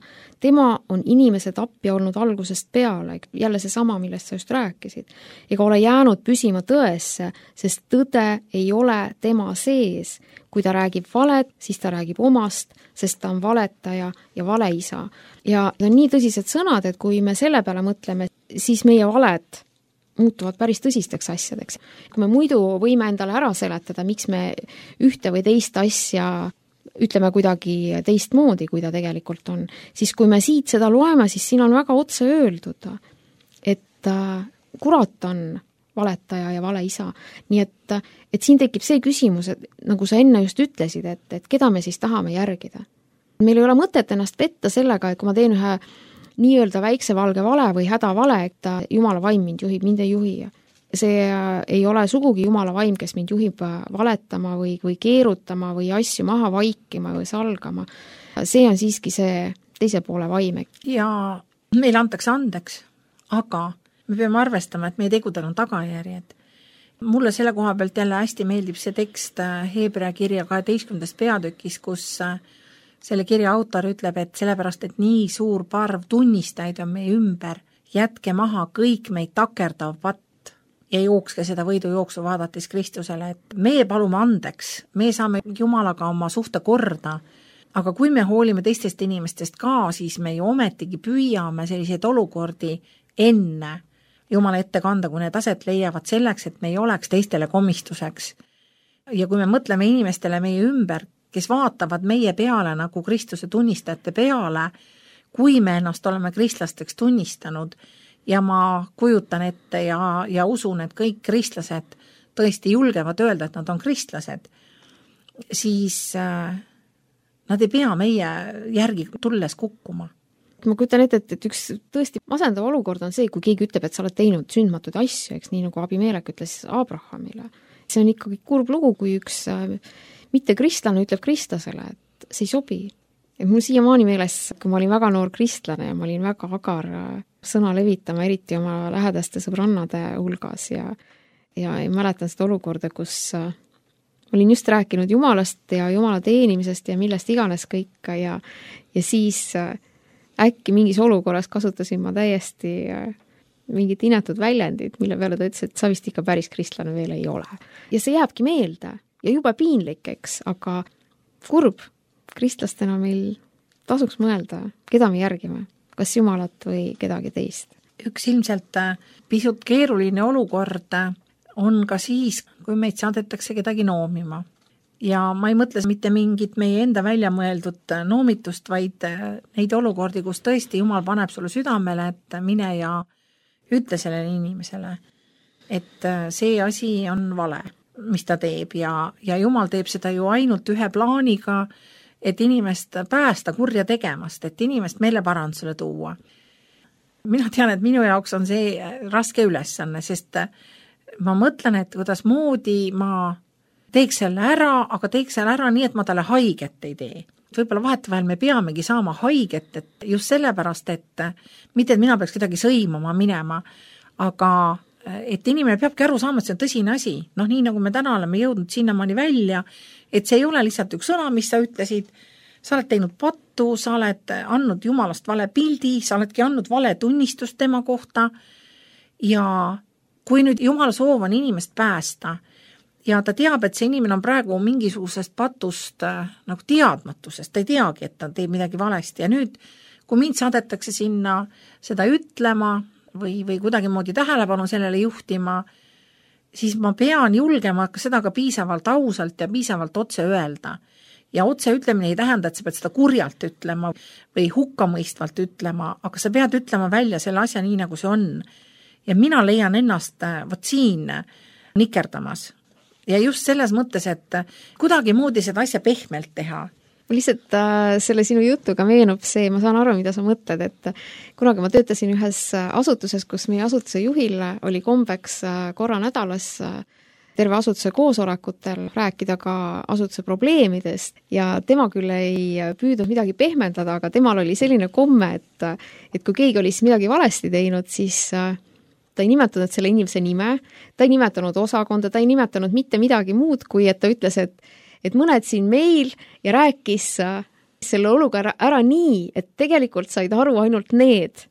Speaker 3: Tema on inimese tapja olnud algusest peale, jälle see sama, millest sa just rääkisid, ega ole jäänud püsima tõesse, sest tõde ei ole tema sees. Kui ta räägib valet, siis ta räägib omast, sest ta on valetaja ja valeisa. Ja on nii tõsised sõnad, et kui me selle peale mõtleme, siis meie valed muutuvad päris tõsisteks asjadeks. Kui me muidu võime endale ära seletada, miks me ühte või teist asja ütleme kuidagi teistmoodi, kui ta tegelikult on, siis kui me siit seda loeme, siis siin on väga otse öeldud, et kurat on valetaja ja valeisa. Nii et, et siin tekib see küsimus, et nagu sa enne just ütlesid, et, et keda me siis tahame järgida. Meil ei ole mõtet ennast petta sellega, et kui ma teen ühe nii-öelda väikse valge vale või hädavale, et Jumala vaim mind juhib, mind ei juhi. See ei ole sugugi Jumala vaim, kes mind juhib valetama või, või keerutama või asju maha vaikima või salgama. See on siiski see teise poole vaim.
Speaker 2: Ja meile antakse andeks, aga me peame arvestama, et meie tegudel on tagajärjed. Mulle selle koha pealt jälle hästi meeldib see tekst Heebrea kirja kaheteistkümnendast peatükis, kus selle kirja autor ütleb, et sellepärast, et nii suur parv tunnistajaid on meie ümber, jätke maha kõik meid takerdav patt ja jookske seda võidujooksu vaadates Kristusele, et me palume andeks, me saame Jumalaga oma suhte korda, aga kui me hoolime teistest inimestest ka, siis me ju ometigi püüame selliseid olukordi enne Jumala ette kanda, kui need aset leiavad selleks, et me ei oleks teistele komistuseks. Ja kui me mõtleme inimestele meie ümber, kes vaatavad meie peale nagu Kristuse tunnistajate peale, kui me ennast oleme kristlasteks tunnistanud ja ma kujutan ette ja, ja usun, et kõik kristlased tõesti julgevad öelda, et nad on kristlased, siis äh, nad ei pea meie järgi tulles kukkuma.
Speaker 3: Ma kujutan ette, et, et üks tõesti masendav olukord on see, kui keegi ütleb, et sa oled teinud sündmatuid asju, eks nii nagu Abimelek ütles Abrahamile. See on ikkagi kurb lugu, kui üks äh, mitte kristlane ütleb kristlasele, et see ei sobi. Et mul siiamaani meeles, kui ma olin väga noor kristlane ja ma olin väga agar sõna levitama, eriti oma lähedaste sõbrannade hulgas ja, ja, ja mäletan seda olukorda, kus äh, ma olin just rääkinud Jumalast ja Jumala teenimisest ja millest iganes kõik ja, ja siis äh, äkki mingis olukorras kasutasin ma täiesti mingit inetud väljendit, mille peale ta ütles, et sa vist ikka päris kristlane veel ei ole. Ja see jääbki meelde ja juba piinlik, eks, aga kurb, kristlastena meil tasuks mõelda, keda me järgime, kas Jumalat või kedagi teist.
Speaker 2: Üks ilmselt pisut keeruline olukord on ka siis, kui meid saadetakse kedagi noomima. Ja ma ei mõtle mitte mingit meie enda välja mõeldud noomitust, vaid neid olukordi, kus tõesti Jumal paneb sulle südamele, et mine ja ütle sellele inimesele, et see asi on vale, mis ta teeb ja, ja Jumal teeb seda ju ainult ühe plaaniga, et inimest päästa kurja tegemast, et inimest meeleparandusele tuua. Mina tean, et minu jaoks on see raske ülesanne, sest ma mõtlen, et kuidas moodi ma teeks selle ära, aga teeks selle ära nii, et ma talle haiget ei tee. Võib-olla vahetevahel me peamegi saama haiget, et just sellepärast, et mitte, et mina peaks kedagi sõimama minema, aga et inimene peabki aru saama, et see on tõsine asi. Noh, nii nagu me täna oleme jõudnud sinnamaani välja, et see ei ole lihtsalt üks sõna, mis sa ütlesid, sa oled teinud pattu, sa oled andnud Jumalast vale pildi, sa oledki andnud vale tunnistust tema kohta ja kui nüüd Jumala soov on inimest päästa, ja ta teab, et see inimene on praegu mingisugusest patust äh, nagu teadmatusest, ta ei teagi, et ta teeb midagi valesti ja nüüd, kui mind saadetakse sinna seda ütlema või, või kuidagi moodi tähelepanu sellele juhtima, siis ma pean julgema ka seda ka piisavalt ausalt ja piisavalt otse öelda. Ja otse ütlemine ei tähenda, et sa pead seda kurjalt ütlema või hukkamõistvalt ütlema, aga sa pead ütlema välja selle asja nii, nagu see on. Ja mina leian ennast võt siin nikerdamas. Ja just selles mõttes, et kuidagi moodi seda asja pehmelt teha.
Speaker 3: Lihtsalt äh, selle sinu jutuga meenub see, ma saan aru, mida sa mõtled, et kunagi ma töötasin ühes asutuses, kus meie asutuse juhil oli kombeks korra nädalas terve asutuse koosolekutel rääkida ka asutuse probleemidest ja tema küll ei püüdnud midagi pehmendada, aga temal oli selline komme, et, et kui keegi oli siis midagi valesti teinud, siis ta ei nimetanud selle inimese nime, ta ei nimetanud osakonda, ta ei nimetanud mitte midagi muud, kui et ta ütles, et, et mõned siin meil ja rääkis selle olukorra ära nii, et tegelikult said aru ainult need,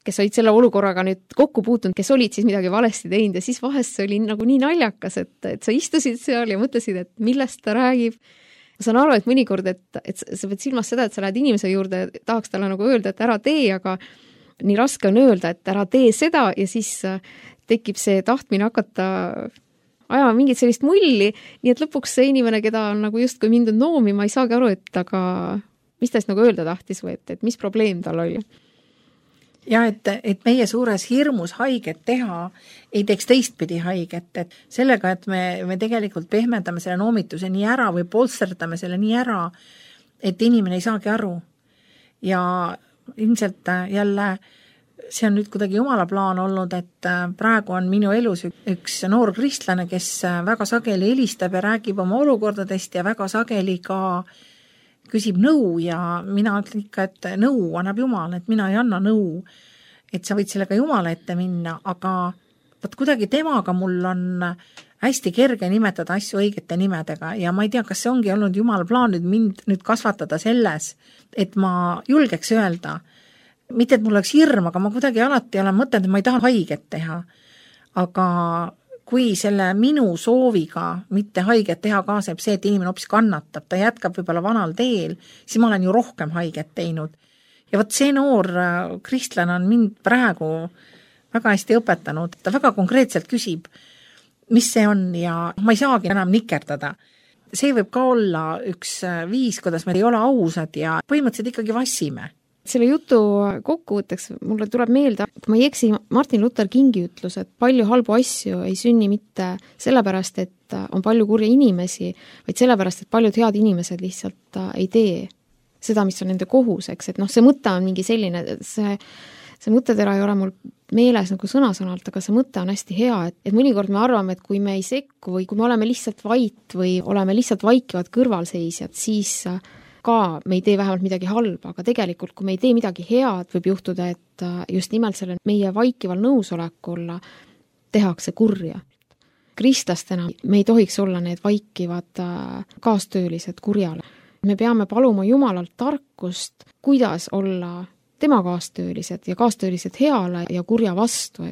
Speaker 3: kes olid selle olukorraga nüüd kokku puutunud, kes olid siis midagi valesti teinud ja siis vahest see oli nagu nii naljakas, et, et sa istusid seal ja mõtlesid, et millest ta räägib. Ma saan aru, et mõnikord, et, et sa pead silmas seda, et sa lähed inimese juurde, tahaks talle nagu öelda, et ära tee, aga nii raske on öelda, et ära tee seda ja siis tekib see tahtmine hakata ajama mingit sellist mulli, nii et lõpuks see inimene, keda on nagu justkui mindud noomima, ei saagi aru, et aga mis ta siis nagu öelda tahtis või et, et mis probleem tal oli.
Speaker 2: Ja et, et meie suures hirmus haiget teha ei teeks teistpidi haiget, et sellega, et me, me tegelikult pehmendame selle noomituse nii ära või polsterdame selle nii ära, et inimene ei saagi aru ja ilmselt jälle see on nüüd kuidagi Jumala plaan olnud, et praegu on minu elus üks noor kristlane, kes väga sageli helistab ja räägib oma olukordadest ja väga sageli ka küsib nõu ja mina ütlen ikka, et nõu annab Jumal, et mina ei anna nõu, et sa võid sellega Jumala ette minna, aga võt kuidagi temaga mul on hästi kerge nimetada asju õigete nimedega ja ma ei tea, kas see ongi olnud Jumala plaan nüüd mind nüüd kasvatada selles, et ma julgeks öelda, mitte et mul oleks hirm, aga ma kuidagi alati olen mõtelnud, et ma ei taha haiget teha. Aga kui selle minu sooviga mitte haiget teha kaaseb see, et inimene hoopis kannatab, ta jätkab võib-olla vanal teel, siis ma olen ju rohkem haiget teinud. Ja võt see noor kristlane on mind praegu väga hästi õpetanud, ta väga konkreetselt küsib, mis see on ja ma ei saagi enam nikerdada. see võib ka olla üks viis, kuidas me ei ole ausad ja põhimõtteliselt ikkagi vassime.
Speaker 3: Selle jutu kokkuvõtteks mulle tuleb meelde, kui ma ei eksi, Martin Luther Kingi ütlus, et palju halbu asju ei sünni mitte sellepärast, et on palju kurja inimesi, vaid sellepärast, et paljud head inimesed lihtsalt ei tee seda, mis on nende kohuseks, et noh, see mõte on mingi selline, see, see mõttetera ei ole mul meeles nagu sõna-sõnalt, aga see mõte on hästi hea, et, et mõnikord me arvame, et kui me ei sekku või kui me oleme lihtsalt vait või oleme lihtsalt vaikivad kõrvalseisjad, siis ka me ei tee vähemalt midagi halba, aga tegelikult, kui me ei tee midagi head, võib juhtuda, et just nimelt selle meie vaikival nõusolekul tehakse kurja. Kristlastena me ei tohiks olla need vaikivad kaastöölised kurjale. Me peame paluma Jumalalt tarkust, kuidas olla tema kaastöölised ja kaastöölised heale ja kurja vastu.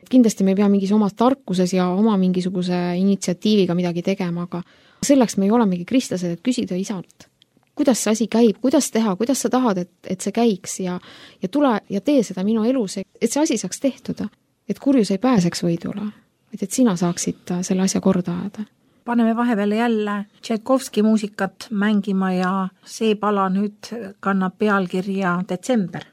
Speaker 3: Kindlasti me ei pea mingis omas tarkuses ja oma mingisuguse initsiatiiviga midagi tegema, aga selleks me ei olemegi kristlased, et küsida isalt. Kuidas see asi käib, kuidas teha, kuidas sa tahad, et, et see käiks ja, ja tule ja tee seda minu elus, et see asi saaks tehtud, et kurjus ei pääseks võidule, et sina saaksid selle asja korda ajada.
Speaker 2: Paneme vahepeale jälle Tšaikovski muusikat mängima ja see pala nüüd kannab pealkirja Detsember.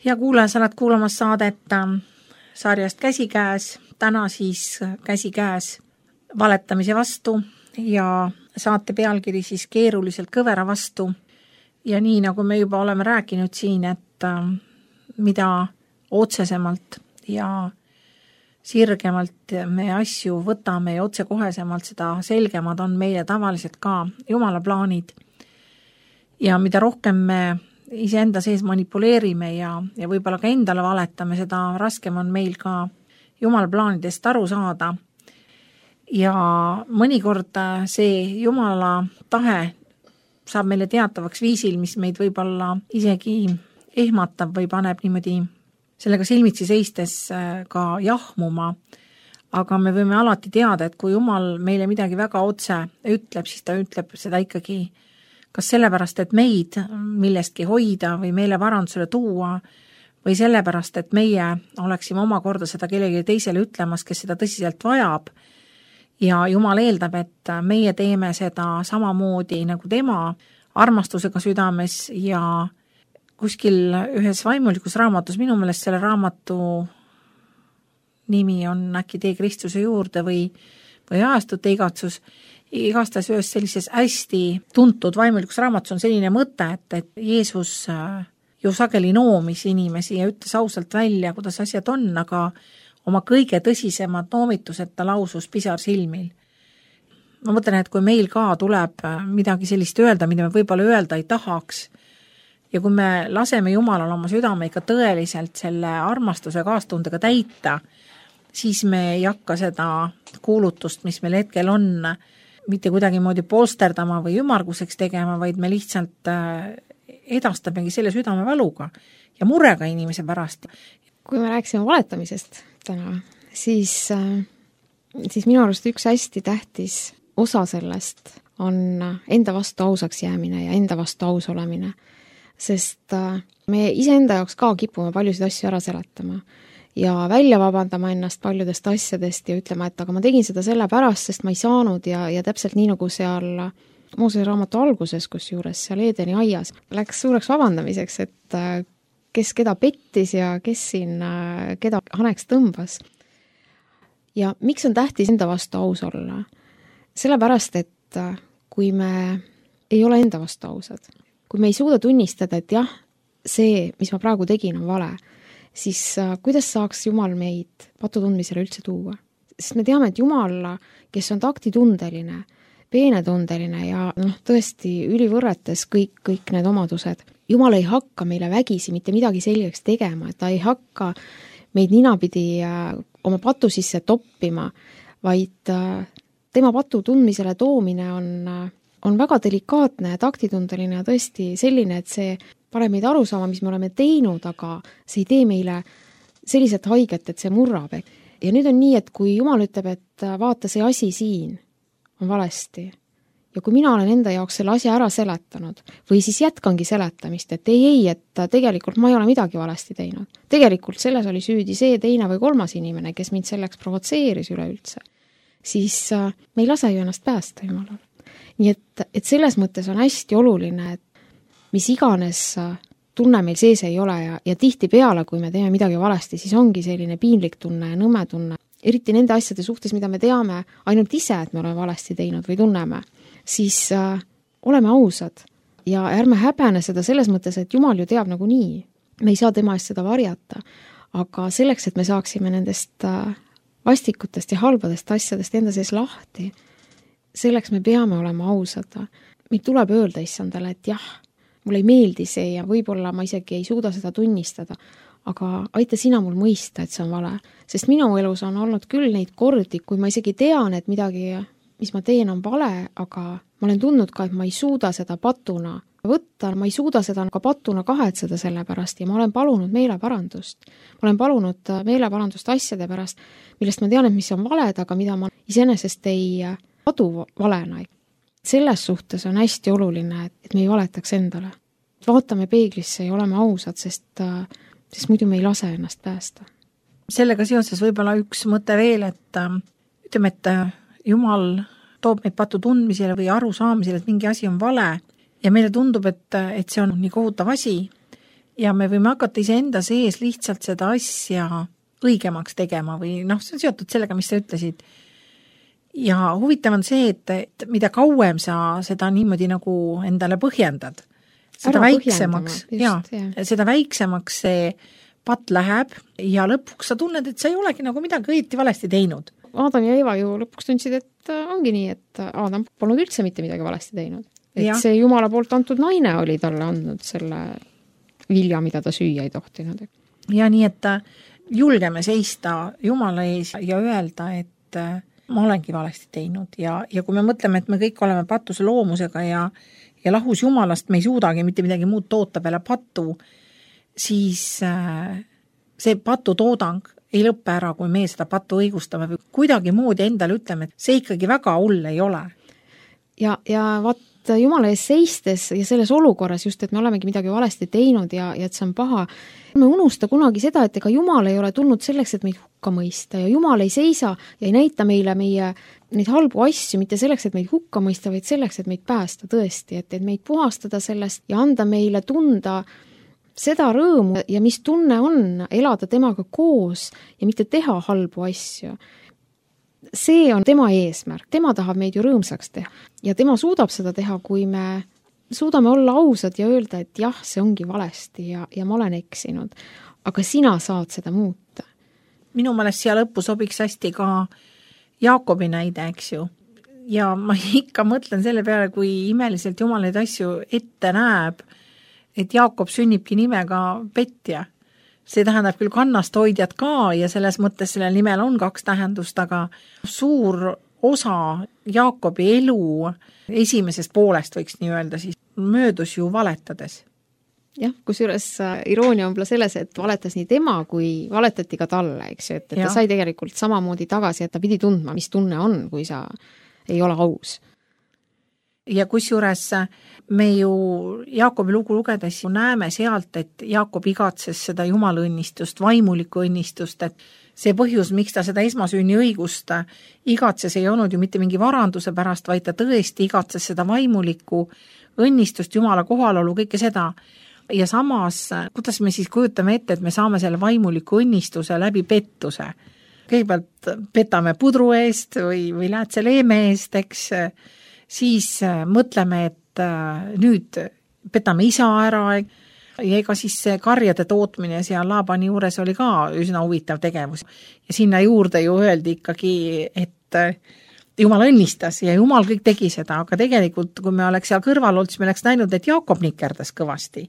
Speaker 2: ja kuulaja, sa oled kuulamas saadet sarjast Käsikäes, täna siis Käsikäes valetamise vastu ja saate pealkiri siis keeruliselt kõvera vastu. Ja nii, nagu me juba oleme rääkinud siin, et mida otsesemalt ja sirgemalt me asju võtame ja otsekohesemalt, seda selgemad on meile tavaliselt ka Jumala plaanid. Ja mida rohkem me iseenda sees manipuleerime ja, ja võib-olla ka endale valetame, seda raskem on meil ka Jumala plaanidest aru saada. Ja mõnikord see Jumala tahe saab meile teatavaks viisil, mis meid võib-olla isegi ehmatab või paneb niimoodi sellega silmitsi seistes ka jahmuma. Aga me võime alati teada, et kui Jumal meile midagi väga otse ütleb, siis ta ütleb seda ikkagi kas sellepärast, et meid millestki hoida või meile parandusele tuua või sellepärast, et meie oleksime omakorda seda kellegi teisele ütlemas, kes seda tõsiselt vajab. Ja Jumal eeldab, et meie teeme seda samamoodi nagu tema armastusega südames ja kuskil ühes vaimulikus raamatus, minu meelest selle raamatu nimi on äkki Tee Kristuse juurde või, või Ajastute igatsus, igastahes ühes sellises hästi tuntud vaimulikus raamatus on selline mõte, et, et Jeesus ju sageli noomis inimesi ja ütles ausalt välja, kuidas asjad on, aga oma kõige tõsisemad noomitused ta lausus pisar silmil. Ma mõtlen, et kui meil ka tuleb midagi sellist öelda, mida me võib-olla öelda ei tahaks, ja kui me laseme Jumalal oma südame ikka tõeliselt selle armastuse kaastundega täita, siis me ei hakka seda kuulutust, mis meil hetkel on, mitte kuidagi moodi polsterdama või ümarguseks tegema, vaid me lihtsalt edastamegi selle südame valuga ja murega inimese pärast.
Speaker 3: Kui me rääkisime valetamisest täna, siis, siis minu arust üks hästi tähtis osa sellest on enda vastu ausaks jäämine ja enda vastu aus olemine. Sest me iseenda jaoks ka kipume paljusid asju ära seletama ja välja vabandama ennast paljudest asjadest ja ütlema, et aga ma tegin seda selle pärast, sest ma ei saanud ja, ja täpselt nii nagu seal Moosese raamatu alguses, kus juures seal Eedeni aias läks suureks vabandamiseks, et kes keda pettis ja kes siin keda haneks tõmbas. Ja miks on tähtis enda vastu aus olla? Sellepärast, et kui me ei ole enda vastu ausad, kui me ei suuda tunnistada, et jah, see, mis ma praegu tegin, on vale, siis kuidas saaks Jumal meid patutundmisele üldse tuua? Sest me teame, et Jumal, kes on taktitundeline, peenetundeline ja noh, tõesti ülivõrretes kõik, kõik need omadused, Jumal ei hakka meile vägisi mitte midagi selgeks tegema, et ta ei hakka meid ninapidi oma patu sisse toppima, vaid tema patu tundmisele toomine on on väga delikaatne ja taktitundeline ja tõesti selline, et see paneb meid aru saama, mis me oleme teinud, aga see ei tee meile selliselt haiget, et see murrab. Ja nüüd on nii, et kui Jumal ütleb, et vaata, see asi siin on valesti ja kui mina olen enda jaoks selle asja ära seletanud või siis jätkangi seletamist, et ei, ei, et tegelikult ma ei ole midagi valesti teinud. Tegelikult selles oli süüdi see teine või kolmas inimene, kes mind selleks provotseeris üleüldse. Siis me ei lase ju ennast päästa Jumalal. Nii et, et selles mõttes on hästi oluline, et mis iganes tunne meil sees ei ole ja, ja tihti peale, kui me teeme midagi valesti, siis ongi selline piinlik tunne ja nõme tunne. Eriti nende asjade suhtes, mida me teame ainult ise, et me oleme valesti teinud või tunneme, siis äh, oleme ausad ja ärme häbene seda selles mõttes, et Jumal ju teab nagu nii. Me ei saa tema eest seda varjata, aga selleks, et me saaksime nendest äh, vastikutest ja halbadest asjadest enda sees lahti, selleks me peame olema ausad. Meil tuleb öelda issandale, et jah, mulle ei meeldi see ja võib-olla ma isegi ei suuda seda tunnistada, aga aita sina mul mõista, et see on vale. Sest minu elus on olnud küll neid kordi, kui ma isegi tean, et midagi, mis ma teen, on vale, aga ma olen tundnud ka, et ma ei suuda seda patuna võtta, ma ei suuda seda ka patuna kahetseda selle pärast ja ma olen palunud meeleparandust. Ma olen palunud meeleparandust asjade pärast, millest ma tean, et mis on valed, aga mida ma iseenesest ei adu valena. Selles suhtes on hästi oluline, et me ei valetaks endale. Vaatame peeglisse ja oleme ausad, sest, sest muidu me ei lase ennast päästa.
Speaker 2: Sellega seoses võib-olla üks mõte veel, et ütleme, et Jumal toob meid patu tundmisele või aru saamisele, et mingi asi on vale ja meile tundub, et, et see on nii kohutav asi ja me võime hakata iseenda sees lihtsalt seda asja õigemaks tegema või noh, see on seotud sellega, mis sa ütlesid. Ja huvitav on see, et, et mida kauem sa seda niimoodi nagu endale põhjendad, seda
Speaker 3: Ära
Speaker 2: väiksemaks,
Speaker 3: just,
Speaker 2: ja,
Speaker 3: jah.
Speaker 2: seda väiksemaks see patt läheb ja lõpuks sa tunned, et sa ei olegi nagu midagi õieti valesti teinud.
Speaker 3: Adam ja Eva ju lõpuks tundsid, et ongi nii, et Adam polnud üldse mitte midagi valesti teinud. Et ja. See Jumala poolt antud naine oli talle andnud selle vilja, mida ta süüa ei tohtinud.
Speaker 2: Ja nii, et julgeme seista Jumala ees ja öelda, et ma olengi valesti teinud ja, ja kui me mõtleme, et me kõik oleme patuse loomusega ja, ja lahus Jumalast me ei suudagi mitte midagi muud toota peale patu, siis see patutoodang ei lõppe ära, kui me seda patu õigustame või kuidagi moodi endale ütleme, et see ikkagi väga hull ei ole.
Speaker 3: Ja, ja vaat Jumala ees seistes ja selles olukorras just, et me olemegi midagi valesti teinud ja, ja et see on paha, me unusta kunagi seda, et ega Jumal ei ole tulnud selleks, et meid hukka mõista ja Jumal ei seisa ja ei näita meile meie neid halbu asju mitte selleks, et meid hukka mõista, vaid selleks, et meid päästa tõesti, et, et meid puhastada sellest ja anda meile tunda seda rõõmu ja mis tunne on elada temaga koos ja mitte teha halbu asju. See on tema eesmärk, tema tahab meid ju rõõmsaks teha ja tema suudab seda teha, kui me suudame olla ausad ja öelda, et jah, see ongi valesti ja, ja ma olen eksinud, aga sina saad seda muuta.
Speaker 2: Minu meelest siia lõppu sobiks hästi ka Jaakobi näide, eks ju. Ja ma ikka mõtlen selle peale, kui imeliselt Jumal neid asju ette näeb, et Jaakob sünnibki nimega Petja. See tähendab küll kannast hoidjad ka ja selles mõttes sellel nimel on kaks tähendust, aga suur osa Jaakobi elu esimesest poolest võiks nii öelda, siis möödus ju valetades.
Speaker 3: Jah, kusjuures iroonia on võib-olla selles, et valetas nii tema, kui valetati ka talle, eks ju, et, et ta sai tegelikult samamoodi tagasi, et ta pidi tundma, mis tunne on, kui sa ei ole aus.
Speaker 2: Ja kusjuures me ju Jaakobi lugu lugedes näeme sealt, et Jaakob igatses seda Jumala õnnistust, vaimulikku õnnistust, et see põhjus, miks ta seda esmasünni õigust igatses, ei olnud ju mitte mingi varanduse pärast, vaid ta tõesti igatses seda vaimulikku õnnistust, Jumala kohalolu, kõike seda. Ja samas, kuidas me siis kujutame ette, et me saame selle vaimuliku õnnistuse läbi pettuse. Kõigepealt petame pudru eest või, või läätse leeme eest, eks, siis mõtleme, et nüüd petame isa ära ja ega siis see karjade tootmine seal Laabani juures oli ka üsna huvitav tegevus. Ja sinna juurde ju öeldi ikkagi, et Jumal õnnistas ja Jumal kõik tegi seda, aga tegelikult kui me oleks seal kõrval olnud, siis me oleks näinud, et Jaakob nikerdas kõvasti.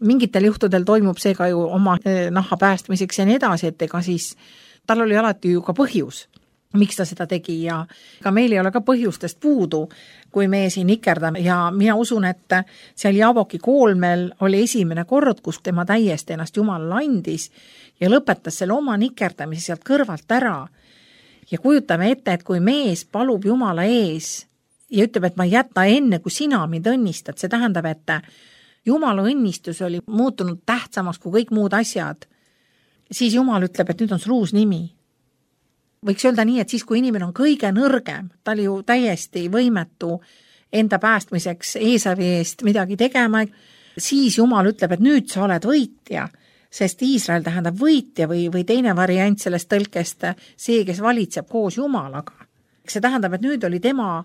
Speaker 2: Mingitel juhtudel toimub see ka ju oma nahha päästmiseks ja nii edasi, et ega siis tal oli alati ju ka põhjus, miks ta seda tegi ja ka meil ei ole ka põhjustest puudu, kui me siin nikerdame ja mina usun, et seal Jaaboki koolmel oli esimene kord, kus tema täiesti ennast Jumalale andis ja lõpetas selle oma nikerdamise sealt kõrvalt ära ja kujutame ette, et kui mees palub Jumala ees ja ütleb, et ma ei jäta enne, kui sina mind õnnistad, see tähendab, et Jumala õnnistus oli muutunud tähtsamaks kui kõik muud asjad, siis Jumal ütleb, et nüüd on sul uus nimi. Võiks öelda nii, et siis, kui inimene on kõige nõrgem, ta oli ju täiesti võimetu enda päästmiseks Eesavi eest midagi tegema, siis Jumal ütleb, et nüüd sa oled võitja, sest Iisrael tähendab võitja või, või teine variant sellest tõlkest, see, kes valitseb koos Jumalaga. See tähendab, et nüüd oli tema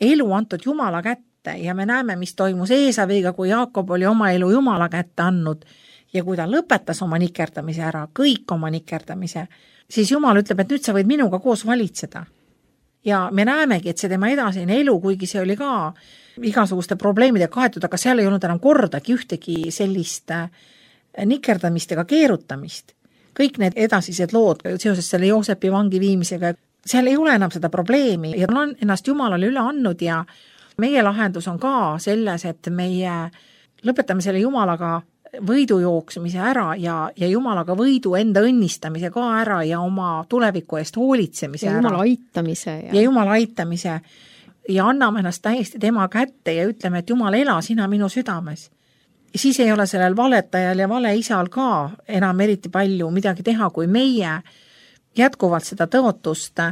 Speaker 2: elu antud Jumala kätte ja me näeme, mis toimus Eesaviga, kui Jaakob oli oma elu Jumala kätte andnud ja kui ta lõpetas oma nikerdamise ära, kõik oma nikerdamise, siis Jumal ütleb, et nüüd sa võid minuga koos valitseda. Ja me näemegi, et see tema edasine elu, kuigi see oli ka igasuguste probleemidega kaetud, aga seal ei olnud enam kordagi ühtegi sellist nikerdamist ega keerutamist. Kõik need edasised lood seoses selle Joosepi vangi viimisega, seal ei ole enam seda probleemi ja on ennast Jumalale üle andnud ja meie lahendus on ka selles, et meie lõpetame selle Jumalaga võidu jooksmise ära ja, ja Jumalaga võidu enda õnnistamise ka ära ja oma tuleviku eest hoolitsemise
Speaker 3: ja
Speaker 2: ära.
Speaker 3: Jumala aitamise. Ja,
Speaker 2: ja Jumala aitamise ja anname ennast täiesti tema kätte ja ütleme, et Jumal, ela sina minu südames. Ja siis ei ole sellel valetajal ja vale isal ka enam eriti palju midagi teha, kui meie jätkuvalt seda tõotust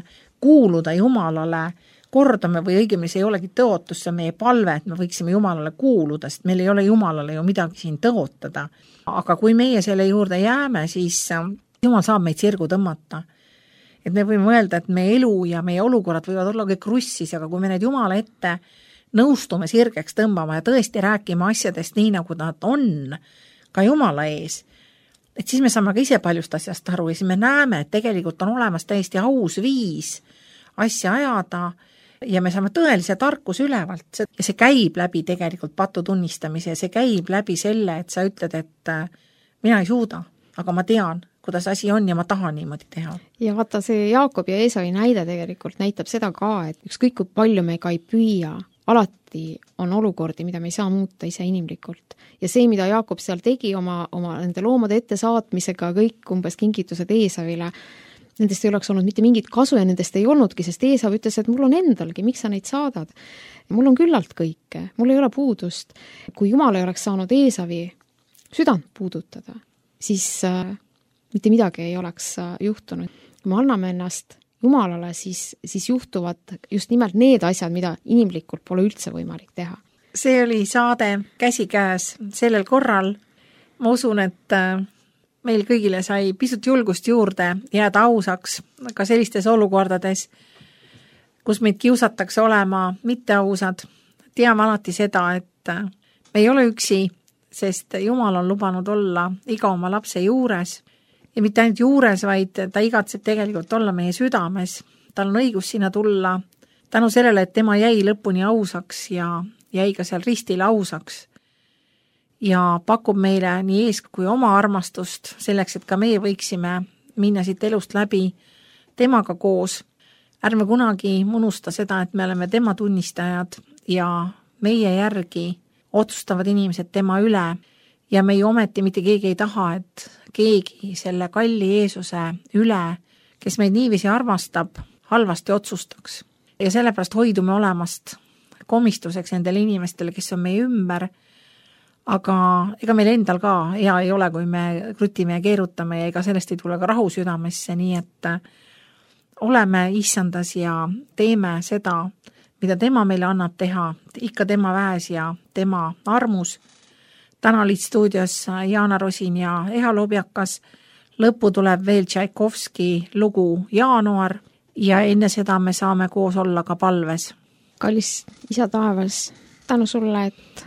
Speaker 2: kuuluda Jumalale kordame või õigemini see ei olegi tõotus, see on meie palve, et me võiksime Jumalale kuuluda, sest meil ei ole Jumalale ju midagi siin tõotada. Aga kui meie selle juurde jääme, siis Jumal saab meid sirgu tõmmata. Et me võime mõelda, et meie elu ja meie olukorrad võivad olla kõik krussis, aga kui me need Jumala ette nõustume sirgeks tõmbama ja tõesti rääkima asjadest nii, nagu nad on, ka Jumala ees, et siis me saame ka ise paljust asjast aru ja siis me näeme, et tegelikult on olemas täiesti aus viis asja ajada ja me saame tõelise tarkus ülevalt ja see käib läbi tegelikult patu tunnistamise ja see käib läbi selle, et sa ütled, et mina ei suuda, aga ma tean, kuidas asi on ja ma tahan niimoodi teha.
Speaker 3: Ja vaata, see Jaakob ja Eesavi näide tegelikult näitab seda ka, et ükskõik kui palju me ka ei püüa, alati on olukordi, mida me ei saa muuta ise inimlikult. Ja see, mida Jaakob seal tegi oma, oma nende loomade ette saatmisega, kõik umbes kingitused Eesavile, nendest ei oleks olnud mitte mingit kasu ja nendest ei olnudki, sest Eesav ütles, et mul on endalgi, miks sa neid saadad? Mul on küllalt kõike, mul ei ole puudust. Kui Jumal ei oleks saanud Eesavi südant puudutada, siis äh, mitte midagi ei oleks äh, juhtunud. Kui me anname ennast Jumalale, siis, siis juhtuvad just nimelt need asjad, mida inimlikult pole üldse võimalik teha.
Speaker 2: See oli saade Käsikäes sellel korral. Ma usun, et meil kõigile sai pisut julgust juurde jääda ausaks ka sellistes olukordades, kus meid kiusatakse olema mitteausad. Teame alati seda, et me ei ole üksi, sest Jumal on lubanud olla iga oma lapse juures. Ja mitte ainult juures, vaid ta igatseb tegelikult olla meie südames. Tal on õigus sinna tulla tänu sellele, et tema jäi lõpuni ausaks ja jäi ka seal ristil ausaks. Ja pakub meile nii ees kui oma armastust selleks, et ka meie võiksime minna siit elust läbi temaga koos. Ärme kunagi unusta seda, et me oleme tema tunnistajad ja meie järgi otsustavad inimesed tema üle. Ja me ju ometi mitte keegi ei taha, et keegi selle kalli Jeesuse üle, kes meid niiviisi armastab, halvasti otsustaks. Ja sellepärast hoidume olemast komistuseks nendele inimestele, kes on meie ümber, aga ega meil endal ka hea ei ole, kui me krutime ja keerutame ja ega sellest ei tule ka rahu südamesse, nii et oleme issandas ja teeme seda, mida tema meile annab teha, ikka tema väes ja tema armus. Täna olid stuudios Jaana Rosin ja Eha Lobjakas. Lõppu tuleb veel Tšaikovski lugu Jaanuar ja enne seda me saame koos olla ka palves.
Speaker 3: Kallis isa taevas, tänu sulle, et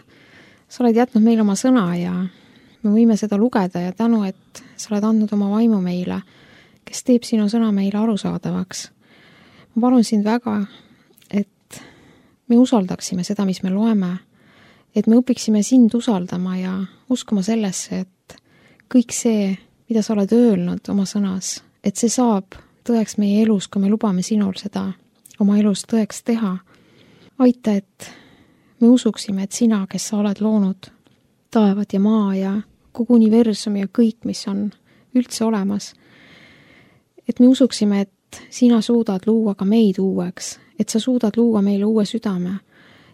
Speaker 3: sa oled jätnud meile oma sõna ja me võime seda lugeda ja tänu, et sa oled andnud oma vaimu meile, kes teeb sinu sõna meile arusaadavaks. Ma palun sind väga, et me usaldaksime seda, mis me loeme, et me õpiksime sind usaldama ja uskuma sellesse, et kõik see, mida sa oled öelnud oma sõnas, et see saab tõeks meie elus, kui me lubame sinul seda oma elus tõeks teha. Aita, et me usuksime, et sina, kes sa oled loonud taevad ja maa ja kogu universum ja kõik, mis on üldse olemas, et me usuksime, et sina suudad luua ka meid uueks, et sa suudad luua meile uue südame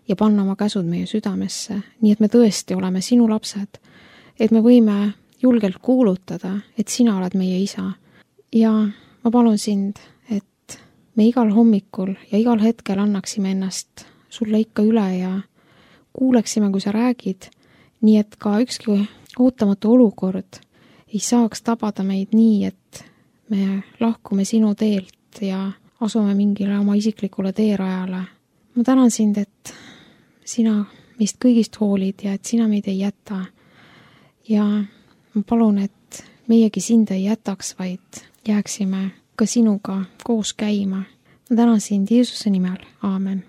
Speaker 3: ja panna oma käsud meie südamesse, nii et me tõesti oleme sinu lapsed, et me võime julgelt kuulutada, et sina oled meie isa. Ja ma palun sind, et me igal hommikul ja igal hetkel annaksime ennast sulle ikka üle ja kuuleksime, kui sa räägid, nii et ka ükski ootamatu olukord ei saaks tabada meid nii, et me lahkume sinu teelt ja asume mingile oma isiklikule teerajale. Ma tänan sind, et sina meist kõigist hoolid ja et sina meid ei jäta. Ja ma palun, et meiegi sind ei jätaks, vaid jääksime ka sinuga koos käima. Ma tänan sind Jeesuse nimel. Aamen.